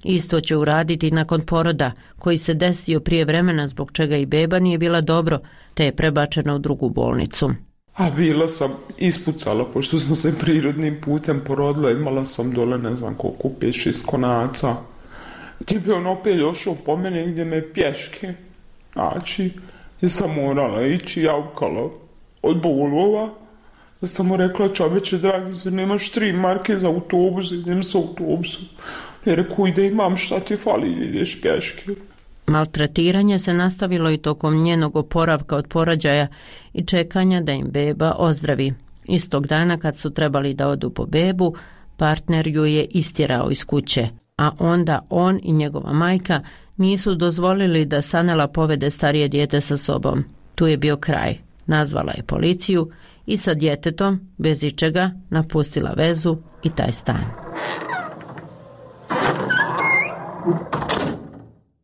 Isto će uraditi nakon poroda, koji se desio prije vremena zbog čega i beba nije bila dobro, te je prebačena u drugu bolnicu. A bila sam ispucala, pošto sam se prirodnim putem porodila, imala sam dole ne znam koliko, pet šest konaca. Gdje bi on opet došao po mene gdje me pješke. Znači, ja sam morala ići javkala od bolova. Da sam mu rekla, čoveče dragi, zar nemaš tri marke za autobus, idem sa autobusom. Ja rekao, ide imam šta ti fali, ideš pješke. Maltretiranje se nastavilo i tokom njenog oporavka od porođaja i čekanja da im beba ozdravi. Istog dana kad su trebali da odu po bebu, partner ju je istjerao iz kuće, a onda on i njegova majka nisu dozvolili da Sanela povede starije dijete sa sobom. Tu je bio kraj. Nazvala je policiju i sa djetetom, bez ičega, napustila vezu i taj stan.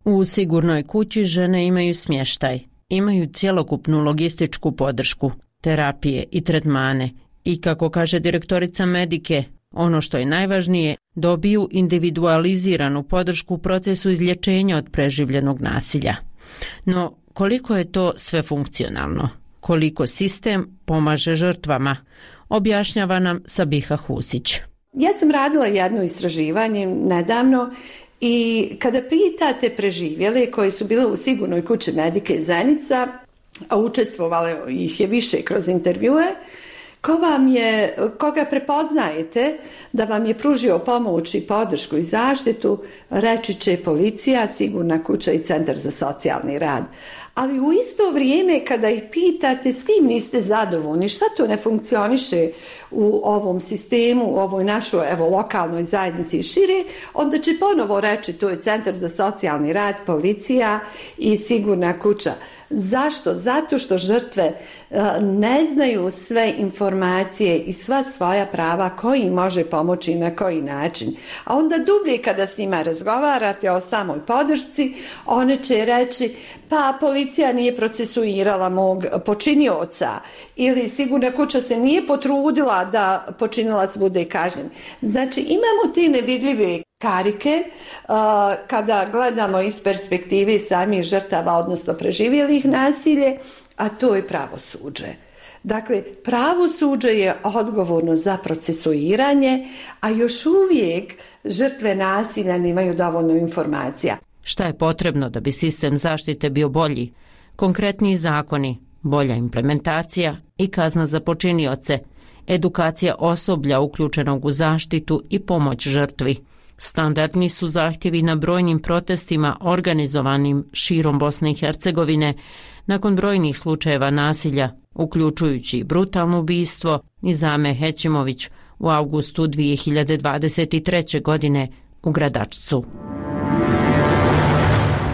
U sigurnoj kući žene imaju smještaj, imaju cjelokupnu logističku podršku, terapije i tretmane i, kako kaže direktorica Medike, ono što je najvažnije, dobiju individualiziranu podršku u procesu izlječenja od preživljenog nasilja. No, koliko je to sve funkcionalno? Koliko sistem pomaže žrtvama? Objašnjava nam Sabiha Husić. Ja sam radila jedno istraživanje nedavno i kada pitate preživjele koji su bile u sigurnoj kući Medike Zenica, a učestvovale ih je više kroz intervjue, ko vam je, koga prepoznajete da vam je pružio pomoć i podršku i zaštitu, reći će policija, sigurna kuća i centar za socijalni rad. Ali u isto vrijeme kada ih pitate s kim niste zadovoljni, šta to ne funkcioniše u ovom sistemu, u ovoj našoj evo, lokalnoj zajednici i šire, onda će ponovo reći to je centar za socijalni rad, policija i sigurna kuća. Zašto? Zato što žrtve ne znaju sve informacije i sva svoja prava koji im može pomoći i na koji način. A onda dublje kada s njima razgovarate o samoj podršci, one će reći pa policija nije procesuirala mog počinioca ili sigurna kuća se nije potrudila da počinilac bude kažnjen. Znači imamo te nevidljive karike uh, kada gledamo iz perspektive samih žrtava, odnosno preživjelih nasilje, a to je pravosuđe. Dakle, pravosuđe je odgovorno za procesuiranje, a još uvijek žrtve nasilja nemaju dovoljno informacija. Šta je potrebno da bi sistem zaštite bio bolji? Konkretniji zakoni, bolja implementacija i kazna za počinioce, edukacija osoblja uključenog u zaštitu i pomoć žrtvi. Standardni su zahtjevi na brojnim protestima organizovanim širom Bosne i Hercegovine nakon brojnih slučajeva nasilja, uključujući brutalno ubistvo Nizame Hećimović u avgustu dvije hiljade dvadeset treće. godine u Gradačcu.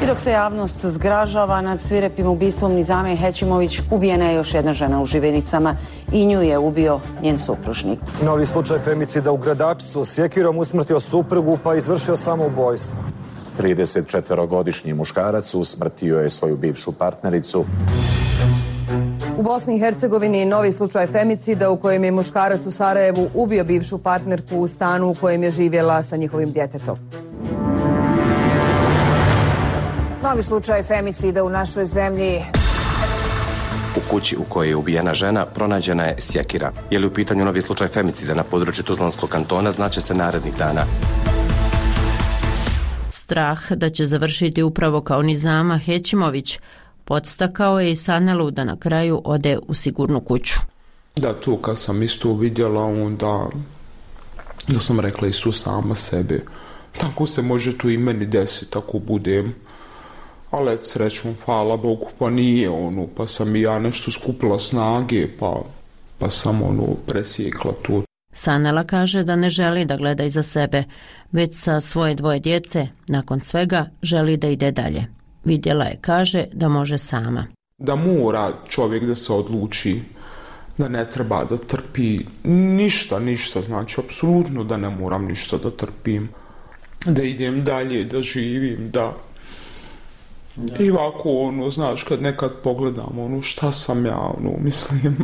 I dok se javnost zgražava nad svirepim ubistvom Nizame Hećimović, ubijena je još jedna žena u Živenicama i nju je ubio njen supružnik. Novi slučaj femicida u Gradačcu. Sjekirom usmrtio suprugu pa izvršio samoubojstvo. tridesetčetvorogodišnji muškarac usmrtio je svoju bivšu partnericu. U Bosni i Hercegovini novi slučaj femicida u kojem je muškarac u Sarajevu ubio bivšu partnerku u stanu u kojem je živjela sa njihovim djetetom. Novi slučaj femicida u našoj zemlji. U kući u kojoj je ubijena žena pronađena je sjekira. Je li u pitanju novi slučaj femicida na području Tuzlanskog kantona, znaće se narednih dana. Strah da će završiti upravo kao Nizama Hećimović podstakao je i Sanelu da na kraju ode u sigurnu kuću. Da, to kad sam isto vidjela, onda da sam rekla i su sama sebi. Tako se može tu i meni desiti, tako budem. Ali srećom, hvala Bogu, pa nije ono, pa sam i ja nešto skupila snage, pa, pa sam ono presjekla to. Sanela kaže da ne želi da gleda iza sebe, već sa svoje dvoje djece, nakon svega, želi da ide dalje. Vidjela je, kaže, da može sama. Da mora čovjek da se odluči, da ne treba da trpi ništa, ništa, znači apsolutno da ne moram ništa da trpim, da idem dalje, da živim, da... Da. I ovako, ono, znaš, kad nekad pogledam, ono, šta sam ja, ono, mislim,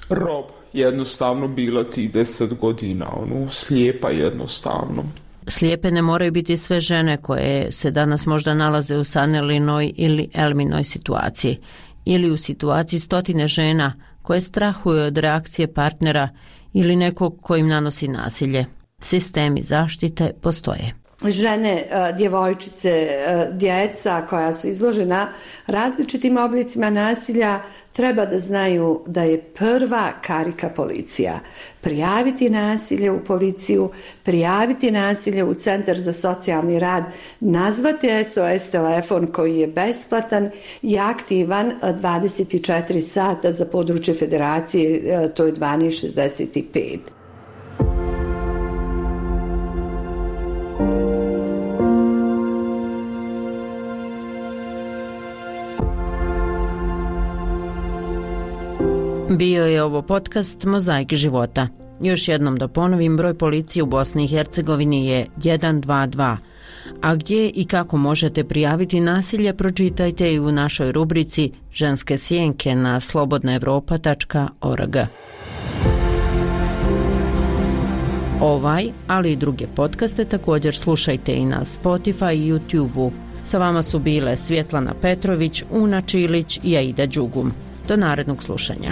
rob, jednostavno bila ti deset godina, ono, slijepa jednostavno. Slijepe ne moraju biti sve žene koje se danas možda nalaze u Sanelinoj ili Elminoj situaciji, ili u situaciji stotine žena koje strahuju od reakcije partnera ili nekog ko im nanosi nasilje. Sistemi zaštite postoje. Žene, djevojčice, djeca koja su izložena različitim oblicima nasilja treba da znaju da je prva karika policija. Prijaviti nasilje u policiju, prijaviti nasilje u Centar za socijalni rad, nazvati S O S telefon koji je besplatan i aktivan dvadeset četiri sata za područje federacije, to je dvanaest šezdeset pet. Bio je ovo podcast Mozaik života. Još jednom da ponovim, broj policije u Bosni i Hercegovini je jedan dva dva. A gdje i kako možete prijaviti nasilje, pročitajte i u našoj rubrici Ženske sjenke na slobodna evropa tačka org. Ovaj, ali i druge podcaste također slušajte i na Spotify i YouTube-u. Sa vama su bile Svjetlana Petrović, Una Čilić i Aida Đugum. Do narednog slušanja.